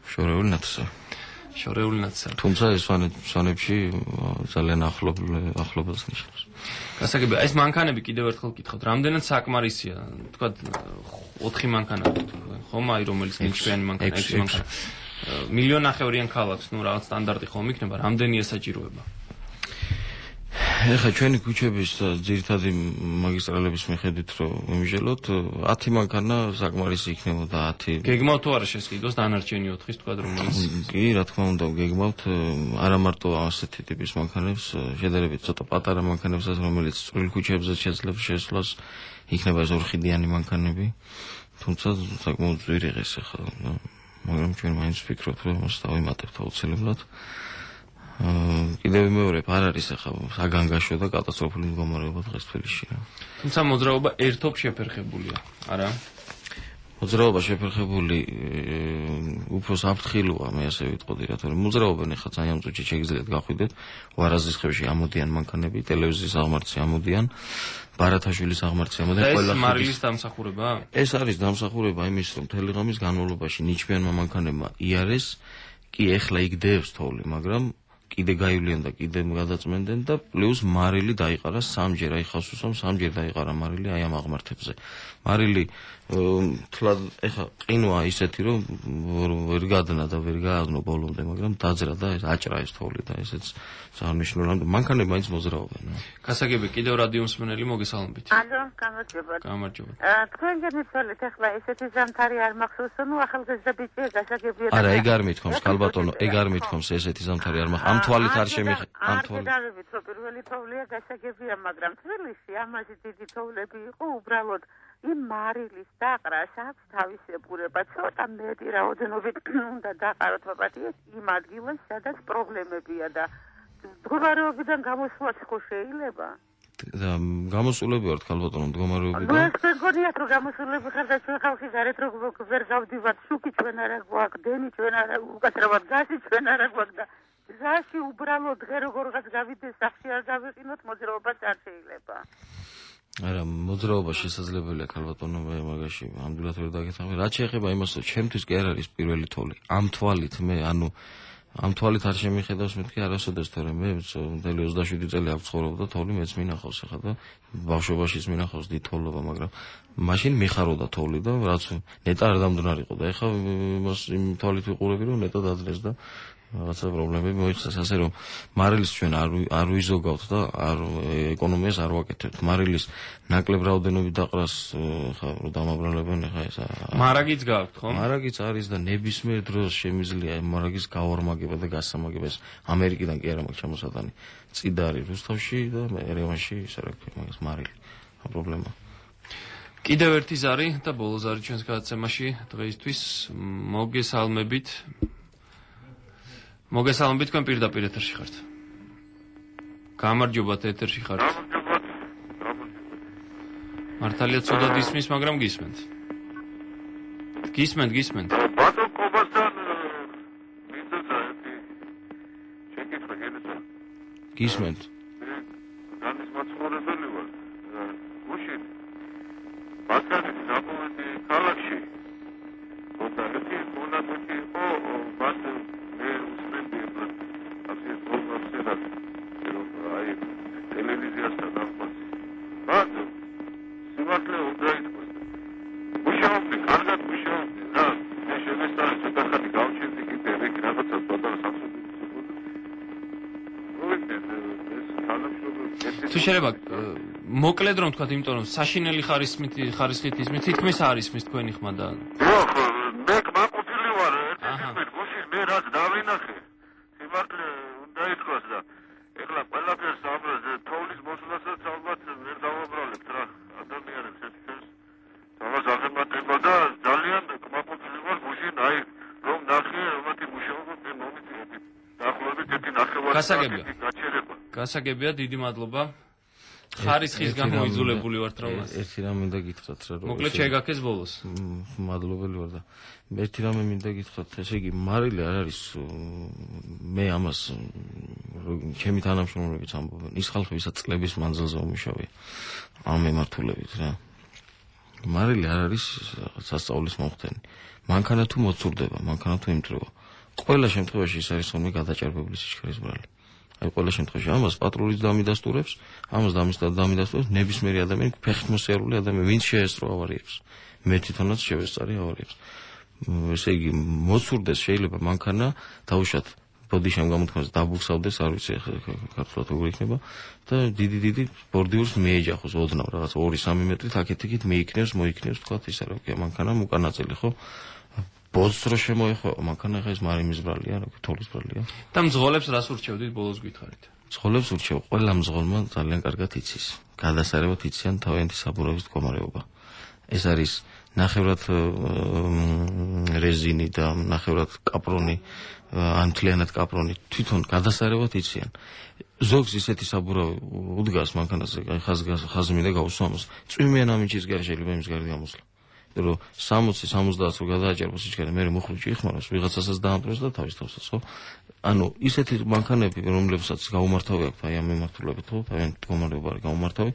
შორეული ნაცსავი. შორეული ნაცსავი. თუმცა ეს სვანებში ძალიან ახლობელს ნიშნავს. გასაგებია, ეს მანქანები კიდევ ერთხელ გითხავთ, რამდენად საკმარისია, თქვათ ოთხი მანქანა ხომ აი რომელიც ნიჩბიანი მანქანა, ექვსი მანქანა. მილიონი ნახევრიან ქალაქს, ნუ რაღაც სტანდარტი ხომ იქნება, რამდენი ესაჭიროება? ეხლა ჩვენი ქუჩების ძირითადი მაგისტრალების მიხედვით რომ ვიმჟელოთ, ათი მანქანა საკმარისი იქნებოდა ათი. გეგმავთ თუ არა შესყიდოს დანარჩენი ოთხის თქვა რომელიც კი, რა თქმა უნდა, გეგმავთ არა მარტო ასეთი ტიპის მანქანებს, შედარებით ცოტა პატარა მანქანებსაც, რომელიც წვრილ ქუჩებზე შეძლებს შესვლას, იქნება ეს ორხიდიანი მანქანები. თუმცა საკმაოდ ძვირიღეს ახლა, მაგრამ ჩვენ მაინც ვფიქრობთ, რომ მას დავიმატებთ აუცილებლად. კიდევ მეორე არ არის ახლა საგანგაშო და კატასტროფული მდგომარეობა დღეს თბილისში. თუმცა მოძრაობა ერთობ შეფერხებულია, არა? მოძრაობა შეფერხებული უფრო საფრთხილოა, მე ასე ვიტყოდი, რატომ მოძრაობენ ახლა ძალიან წუთში შეგიძლიათ გახვიდეთ, ვარაზის ხევში ამოდიან მანქანები, ტელევიზიის აღმართი ამოდიან, ბარათაშვილის აღმართი ამოდიან, ყველა ეს მარილის დამსახურება? ეს არის დამსახურება იმის, რომ მთელი ღამის განმავლობაში ნიჩბიანმა მანქანებმა იარეს, კი ეხლა იგდეებს თოვლი, მაგრამ კიდე გაივლიან და კიდე გადაწმენდნენ და პლუს მარილი დაიყარა სამჯერ, აი ხასუსამ სამჯერ დაიყარა მარილი აი ამ აღმართებზე. მარილი თლად ეხა ყინვა ისეთი რომ ვერ გადნა და ვერ გააგნო ბოლომდე, მაგრამ დაძრა და ეს აჭრა ეს თოვლი და ესეც სანიშნულო მანქანები მაინც მოძრაობენ. გასაგები კიდევ რადიო მსმენელი მოგესალმებით. ალო, გამარჯობა. გამარჯობა. თქვენ გემიცვალეთ ახლა ესეთი ზამთარი არ მახსოვს, ნუ ახალგაზრდა ბიჭია გასაგებია. არა, ეგ არ მithkoms, ქალბატონო, ეგ არ მithkoms ესეთი ზამთარი არ მახ. ამ თვალით არ შემიხ ამ თვალით. არ გადავით, რომ პირველი თოვლია გასაგებია, მაგრამ თბილისში ამაზე დიდი თოვლები იყო უბრალოდ იმ მარილის დაყრას აქვს თავისებურება, ცოტა მეტი რაოდენობით უნდა დაყაროთ პაპატიეს იმ ადგილას, სადაც პრობლემებია და მდგომარეობიდან გამოსვლაც ხო შეიძლება? და გამოსულები ვართ ქალბატონო მდგომარეობიდან. ნუ ეს მეგონიათ რომ გამოსულები ხარ და ჩვენ ხალხი გარეთ რო ვერ გავდივართ, შუქი ჩვენ არა გვაქვს, დენი ჩვენ არა, უკაცრავად გაზი ჩვენ არა გვაქვს და ზაში უბრალოდ დღე როგორღაც გავიდეს სახში არ გავიყინოთ, მოძრაობას არ შეიძლება. არა, მოძრაობა შესაძლებელია ქალბატონო, მე მაგაში ამდვილად ვერ დაგეთახმები. რაც შეეხება იმას, რომ ჩემთვის კი არ არის პირველი თოვლი. ამ თვალით მე, ანუ ამ თვალით არ შემიხედავს მეთქი არასოდეს, თორემ მე მთელი ოცდაშვიდი წელი აქ ვცხოვრობ და თოვლი მეც მინახავს ახლა და ბავშვობაშიც მინახავს დიდი თოვლობა, მაგრამ მაშინ მიხაროდა თოვლი და რაც ნეტა არ დამდნარიყო და ახლა იმას იმ თვალით ვიყურები, რომ ნეტა დაძლეს და რაღაცა პრობლემები მოიხსნა, ასე რომ მარილის ჩვენ არ არ ვიზოგავთ და არ ეკონომიას არ ვაკეთებთ. მარილის ნაკლებ რაოდენობით დაყრას ხა რომ დამაბრალებენ ხა ეს მარაგიც გაქვთ ხო? მარაგიც არის და ნებისმიერ დროს შემიძლია მარაგის გავარმაგება და გასამაგება. ეს ამერიკიდან კი არა მაქვს ჩამოსატანი. წიდა არის რუსთავში და ერევანში ისე რა ქვია მაგას მარილი. პრობლემა. კიდევ ერთი ზარი და ბოლო ზარი ჩვენს გადაცემაში დღეისთვის მოგესალმებით. მოგესალმებით, თქვენ პირდაპირ ეთერში ხართ. გამარჯობათ, ეთერში ხართ. გამარჯობათ. მართალია ცუდად ისმის, მაგრამ გისმენთ. გისმენთ, გისმენთ. ბატონ კობასთან მინდა ერთი შეკითხვა გენეცა. გისმენთ. რანის მაცხოვრებელი ვარ. გუშინ ბაქანის დაპოვეთი ქალაქში. ხოდა ერთი მონათეთი იყო ბათ მე უსმენდი ასე პროგნოზად რომ აი ტელევიზიასთან ახმას. ბატონო სიმართლე უნდა ითქვას. მუშაობდი, კარგად მუშაობდი და მე შემესწავლე ცოტა ხანი გავჩენდი კიდე ეგ რაღაცა პატარა სამსუდი. თუ შეიძლება მოკლედ რომ თქვათ, იმიტომ რომ საშინელი ხარისხით ხარისხით ისმის, თითქმის არ ისმის თქვენი ხმა და მე მაყოფილი ვარ ერთ-ერთი გუშინ მე რაც დავინახე სიმართლე უნდა ითქვას და ეხლა ყველაფერს ამაზე თოვლის მოსვლასაც ალბათ ვერ დავაბრალებთ რა ადამიანებს ეს ჩვენს თავას აღემატება და ძალიან მაყოფილი ვარ გუშინ აი რომ ნახე მათი მუშაობა მე მომიწიეთ დაახლოებით ერთი ნახევარი გასაგებია გაჩერება გასაგებია დიდი მადლობა ხარისხის გამოიძულებული ვართ რომ ერთი რამ მინდა გითხრათ რა რომ მოკლედ შეგაქეს ბოლოს მადლობელი ვარ და ერთი რამ მინდა გითხრათ ესე იგი მარილი არ არის მე ამას ჩემი თანამშრომლებიც ამბობენ ის ხალხი ვისაც წლების მანძილზე უმუშავია ამ მემართულებით რა მარილი არ არის სასწაულის მომხდენი მანქანა თუ მოცურდება მანქანა თუ იმტრება ყველა შემთხვევაში ის არის ხოლმე გადაჭარბებული სიჩქარის ბრალი აი ყველა შემთხვევაში ამას პატრულიც დამიდასტურებს, ამას დამიდასტურებს ნებისმიერი ადამიანი, ფეხით მოსიარული ადამიანი, ვინც შეესწრო ავარიებს. მე თვითონაც შევესწარი ავარიებს. ესე იგი, მოცურდეს შეიძლება მანქანა დაუშვათ ბოდიშამ გამოთქმას დაბუხსავდეს, არ ვიცი ქართულად როგორ იქნება და დიდი დიდი ბორდიურს მიეჯახოს ოდნავ რაღაც ორი სამი მეტრით აქეთ-იქით მიიქნევს, მოიქნევს, თქვათ ის რა ქვია, მანქანა უკანაწილი ხო? ბოლოს რო შემოეხო მანქანა ხა ეს მარიმის ბრალია, რა ქვია, თოვლის ბრალია. და მძღოლებს რას ურჩევდით ბოლოს გითხარით? მძღოლებს ურჩევ, ყველა მძღოლმა ძალიან კარგად იცის. გადასარევად იციან თავიანთი საბურავის მდგომარეობა. ეს არის ნახევრად რეზინი და ნახევრად კაპრონი, ან მთლიანად კაპრონი, თვითონ გადასარევად იციან. ზოგს ისეთი საბურავი უდგას მანქანაზე, აი ხაზი მინდა გავუსვა ამას. წვიმიან ამინჩის გარშე შეიძლება იმის გარდა გამოსვლა. რომ სამოცი სამოცდაათ რო გადააჭერბოს სიჩქარე, მე მოხუჭი იხმაროს, ვიღაცასაც დაამტროს და თავის თავსაც, ხო? ანუ ისეთი მანქანები, რომლებსაც გაუმართავი აქვს აი ამ მიმართულებით, ხო? თავიანთი მდგომარეობა არის გაუმართავი,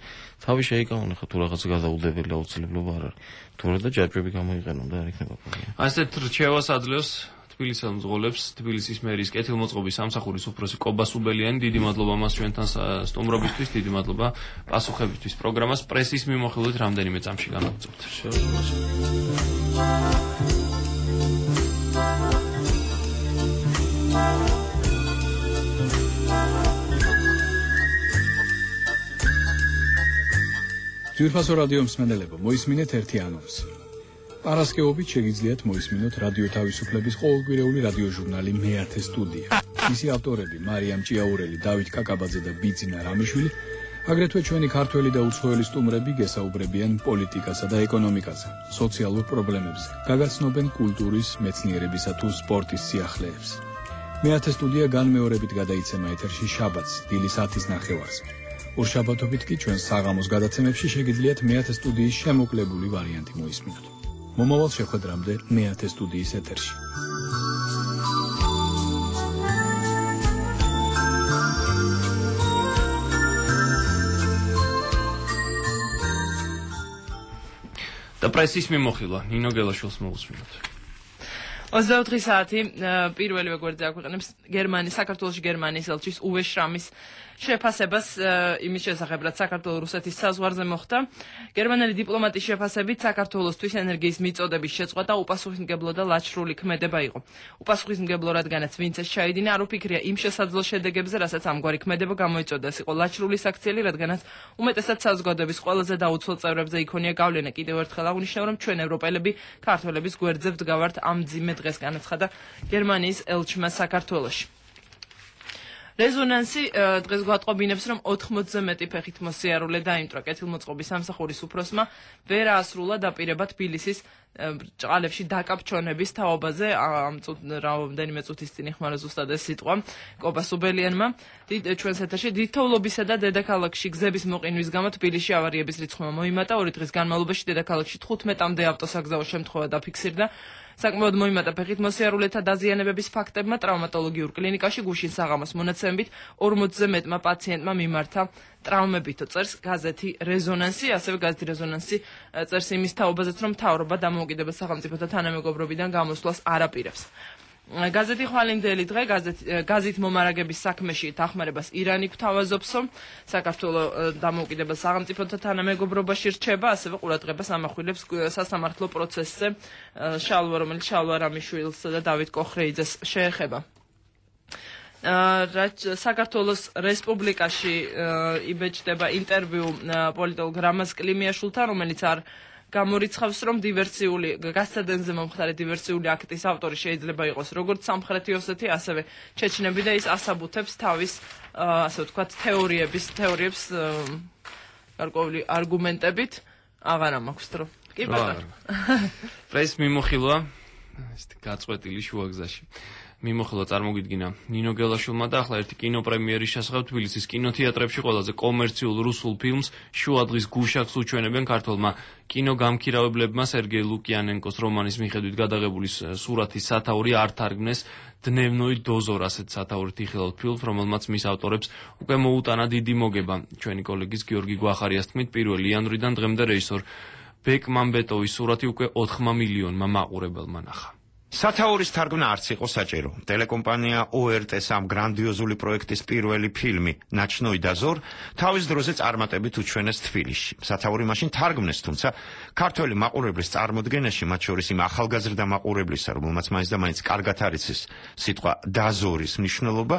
თავი შეიკავონ, ხო, თუ რაღაცა გადაუდებელი აუცილებლობა არ არის. თორე და ჯაჭვები გამოიყენონ და არ იქნება პრობლემა. ასეთ რჩევას აძლევს თბილისელ მძღოლებს თბილისის მერის კეთილმოწყობის სამსახურის უფროსი კობა სუბელიანი, დიდი მადლობა მას ჩვენთან სტუმრობისთვის, დიდი მადლობა პასუხებისთვის. პროგრამას პრესის მიმოხილვით რამდენიმე წამში განაგრძობთ. ძვირფასო რადიო მსმენელებო, მოისმინეთ ერთი ანონსი. პარასკევობით შეგიძლიათ მოისმინოთ რადიო თავისუფლების ყოველკვირეული რადიოჟურნალი მეათე სტუდია. მისი ავტორები მარიამ ჭიაურელი, დავით კაკაბაძე და ბიძინა რამიშვილი, აგრეთვე ჩვენი ქართველი და უცხოელი სტუმრები გესაუბრებიან პოლიტიკასა და ეკონომიკაზე, სოციალურ პრობლემებზე, გაგაცნობენ კულტურის, მეცნიერებისა თუ სპორტის სიახლეებს. მეათე სტუდია განმეორებით გადაიცემა ეთერში შაბათს, დილის ათის ნახევარს. ორშაბათობით კი ჩვენ საღამოს გადაცემებში შეგიძლიათ მეათე სტუდიის შემოკლებული ვარიანტი მოისმინოთ. მომავალ შეხვედრამდე მეათე სტუდიის ეთერში. და პრესის მიმოხილვა ნინო გელაშვილს მოусმინოთ. ოცდაოთხი საათი პირველივე გვერდზე აქვეყნებს გერმანიის საქართველოში გერმანიის ელჩის უვე შრამის შეფასებას იმის შესახებ, რაც საქართველოს-რუსეთის საზღვარზე მოხდა. გერმანელი დიპლომატის შეფასებით საქართველოსთვის ენერგიის მიწოდების შეწყვეტა და უპასუხისმგებლო და ლაჩრული ქმედება იყო. უპასუხისმგებლო, რადგანაც ვინც ეს ჩაიდინა, არ უფიქრია იმ შესაძლო შედეგებზე, რასაც ამგვარი ქმედება გამოიწოდა. ეს იყო ლაჩრული საქციელი, რადგანაც უმეტესად საზოგადოების ყველაზე დაუცველ წევრებზე იქონია გავლენა. კიდევ ერთხელ აღნიშნავ, რომ ჩვენ ევროპელები ქართველების გვერდზე ვდგავართ ამ მძიმე დღეს, განაცხადა გერმანიის ელჩმა საქართველოში. რეზონანსი დღეს გვატყობინებს, რომ ოთხმოცზე მეტი ფეხით მოსიარულე დაიმტვრა კეთილმოწყობის სამსახურის უფროსმა ვერ აასრულა დაპირება თბილისის ჭყალებში დაკαπჩონების თაობაზე. ამ რამდენიმე წუთის წინ იხმარა ზუსტად ეს სიტყვა კობა სუბელიანმა. ჩვენს ეთერში დიდთოვლობისა და დედაქალაქში გზების მოყინვის გამო თბილისში ავარიების რიცხვმა მოიმატა. ორი დღის განმავლობაში დედაქალაქში თხუთმეტამდე ავტოსაგზაო შემთხვევა დაფიქსირდა. საკმაოდ მოიმატა ფეხით მოსიარულეთა დაზიანებების ფაქტებმა. ტრავმატოლოგიურ კლინიკაში გუშინ საღამოს მონაცემებით ორმოცზე მეტმა პაციენტმა მიმართა ტრავმებით. წერს გაზეთი რეზონანსი, ასევე გაზეთი რეზონანსი წერს იმის თაობაზეც, რომ მთავრობა დამოუკიდებელ სახელმწიფოთა თანამეგობრობიდან გამოსვლას არ აპირებს. გაზეთი ხვალინდელი დღე გაზით მომარაგების საქმეში დახმარებას ირანი გვთავაზობსო, საქართველოს დამოუკიდებელ სახელმწიფოთა თანამეგობრობაში რჩება, ასევე ყურადღებას ამახვილებს სასამართლო პროცესზე შალვა, რომელიც შალვა რამიშვილს და დავით კოხრეიძეს შეეხება. საქართველოს რესპუბლიკაში იბეჭდება ინტერვიუ პოლიტოლოგ რამაზ კლიმიაშვილთან, რომელიც არ გამორიცხავს, რომ დივერსიული გასცადენზე მომხდარი დივერსიული აქტის ავტორი შეიძლება იყოს როგორც სამხრეთი ოსეთი, ასევე ჩეჩნები და ის ასაბუთებს თავის ასე ვთქვათ თეორიების თეორიებს გარკვეული არგუმენტებით. აღარა მაქვს დრო. კი ბატონო. პრესის მიმოხილვა ესეთი გაწყვეტილი შუაგზაში. მიმოხილვა წარმოგიდგინა ნინო გელაშვილმა და ახლა ერთი კინოპრემიერის შესახებ თბილისის კინოთეატრებში ყველაზე კომერციულ რუსულ ფილმს შუადღის გუშაკს უჩვენებენ ქართველმა კინოგამქირავებლებმა. სერგეი ლუკიანენკოს რომანის მიხედვით გადაღებული სურათის სათაური არ თარგმნეს დნევნოი დოზორ ასეთ სათაურით იხილავთ ფილმს, რომელმაც მის ავტორებს უკვე მოუტანა დიდი მოგება. ჩვენი კოლეგის გიორგი გვახარიას თქმით, პირველი იანვრიდან დღემდე რეჟისორ ბეკ მამბეტოვის სურათი უკვე ოთხ მილიონმა მაყურებელმა ნახა. სათაურის თარგმნა არც იყო საჭირო. ტელეკომპანია ო ერ ტე-ს ამ გრანდიოზული პროექტის პირველი ფილმი ნაჩნოი დაზორ თავის დროზე წარმატებით უჩვენეს თბილისში. სათაური მაშინ თარგმნეს, თუმცა ქართველი მაყურებლის წარმოდგენაში, მათ შორის იმ ახალგაზრდა მაყურებლისა, რომელმაც მაინც და მაინც კარგად არ იცის სიტყვა დაზორის მნიშვნელობა,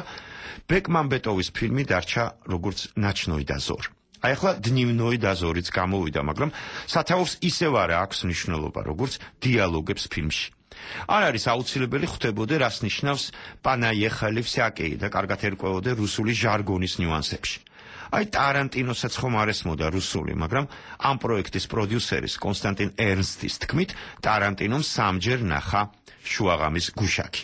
ბეკ მამბეტოვის ფილმი დარჩა როგორც ნაჩნოი დაზორ. აი ახლა დნივნოი დაზორიც გამოვიდა, მაგრამ სათაურს ისევ არ აქვს მნიშვნელობა, როგორც დიალოგებს ფილმში. არ არის აუცილებელი ხვდებოდე, რას ნიშნავს პანაიეხალი ვსაკეი და კარგად ერკვეოდე რუსული ჟარგონის ნიუანსებში. აი ტარანტინოსაც ხომ არ ესმოდა რუსული, მაგრამ ამ პროექტის პროდიუსერის კონსტანტინ ერნსტის თქმით, ტარანტინომ სამჯერ ნახა შუაღამის გუშაკი.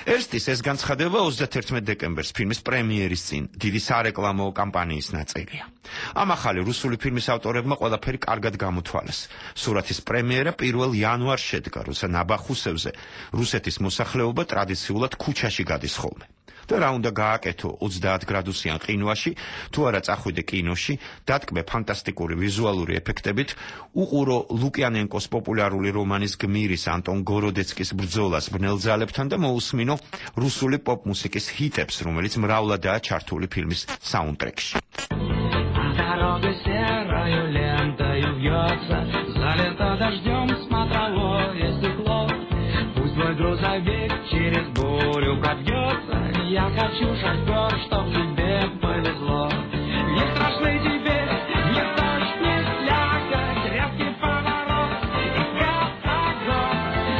ერნსტის ეს განცხადება ოცდათერთმეტ დეკემბერს ფილმის პრემიერის წინ დიდი სარეკლამო კამპანიის ნაწილია. ამ ახალი რუსული ფილმის ავტორებმა ყველაფერი კარგად გამოთვალეს. სურათის პრემიერა პირველ იანვარს შედგა, როცა ნაბახუსევზე რუსეთის მოსახლეობა ტრადიციულად ქუჩაში გადის ხოლმე. და რა უნდა გააკეთო ოცდაათ გრადუსიან ყინვაში, თუ არა წახვიდე კინოში, დატკბე ფანტასტიკური ვიზუალური ეფექტებით, უყურო ლუკიანენკოს პოპულარული რომანის გმირის ანტონ გოროდეცკის ბრძოლას ბნელძალებთან და მოусმინო რუსული პოპ-მუსიკის ჰიტებს, რომელიც მრავლადაა чартული фильмის саундтрекში. Дорога серою лентою вьется, залито дождем смотровое стекло. Пусть твой грузовик через бурю пробьется, я хочу, шофер, чтоб тебе повезло. Не страшны тебе ни дождь, ни слякоть, резкий поворот и катагон.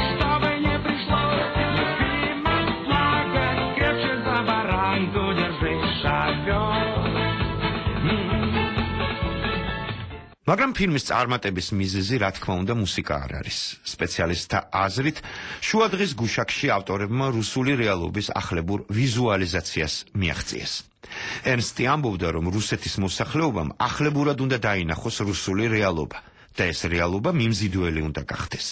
Чтобы не пришлось, любимая слякоть, крепче за баранку держись, шофер. მაგრამ ფილმის წარმატების მიზეზი, რა თქმა უნდა, მუსიკა არ არის. სპეციალისტთა აზრით, შუადღის გუშაკში ავტორებმა რუსული რეალობის ახლებურ ვიზუალიზაციას მიაღწიეს. ერნსტი ამბობდა, რომ რუსეთის მოსახლეობამ ახლებურად უნდა დაინახოს რუსული რეალობა და ეს რეალობა მიმზიდველი უნდა გახდეს.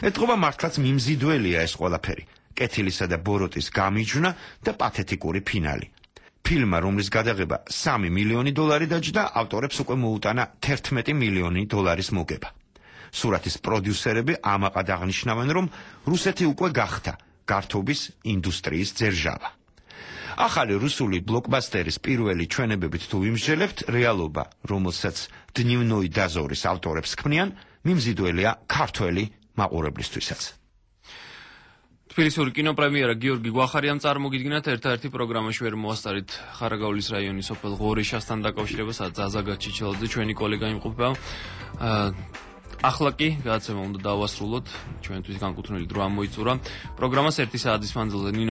ეთყობა მართლაც მიმზიდველია ეს ყველაფერი. კეთილისა და ბოროტის გამიჯვნა და პათეტიკური ფინალი. ფილმმა, რომლის გადაღება სამი მილიონი დოლარი დაჯდა, ავტორებს უკვე მოუტანა თერთმეტი მილიონი დოლარის მოგება. სურათის პროდიუსერები ამაყად აღნიშნავენ, რომ რუსეთი უკვე გახდა გართობის ინდუსტრიის ძერჟავა. ახალი რუსული ბლოკბასტერის პირველი ჩვენებებით თუ ვიმსჯელებთ, რეალობა, რომელსაც დნივნოი დაზორის ავტორებს ქმნიან, მიმზიდველია ქართველი მაყურებლისთვისაც. თბილისური კინოპრემიერა გიორგი გვახარიამ წარმოგიდგინათ ერთადერთი პროგრამაში ვერ მოასწარით ხარაგაულის რაიონის სოფელ ღორიშასთან დაკავშირებას ზაზაგა ჩიჩელაძე ჩვენი კოლეგა იმყოფება. ახლა კი გადაცემა უნდა დავასრულოთ, ჩვენთვის განკუთვნილი დრო ამოიწურა. პროგრამას ერთი საათის მანძილზე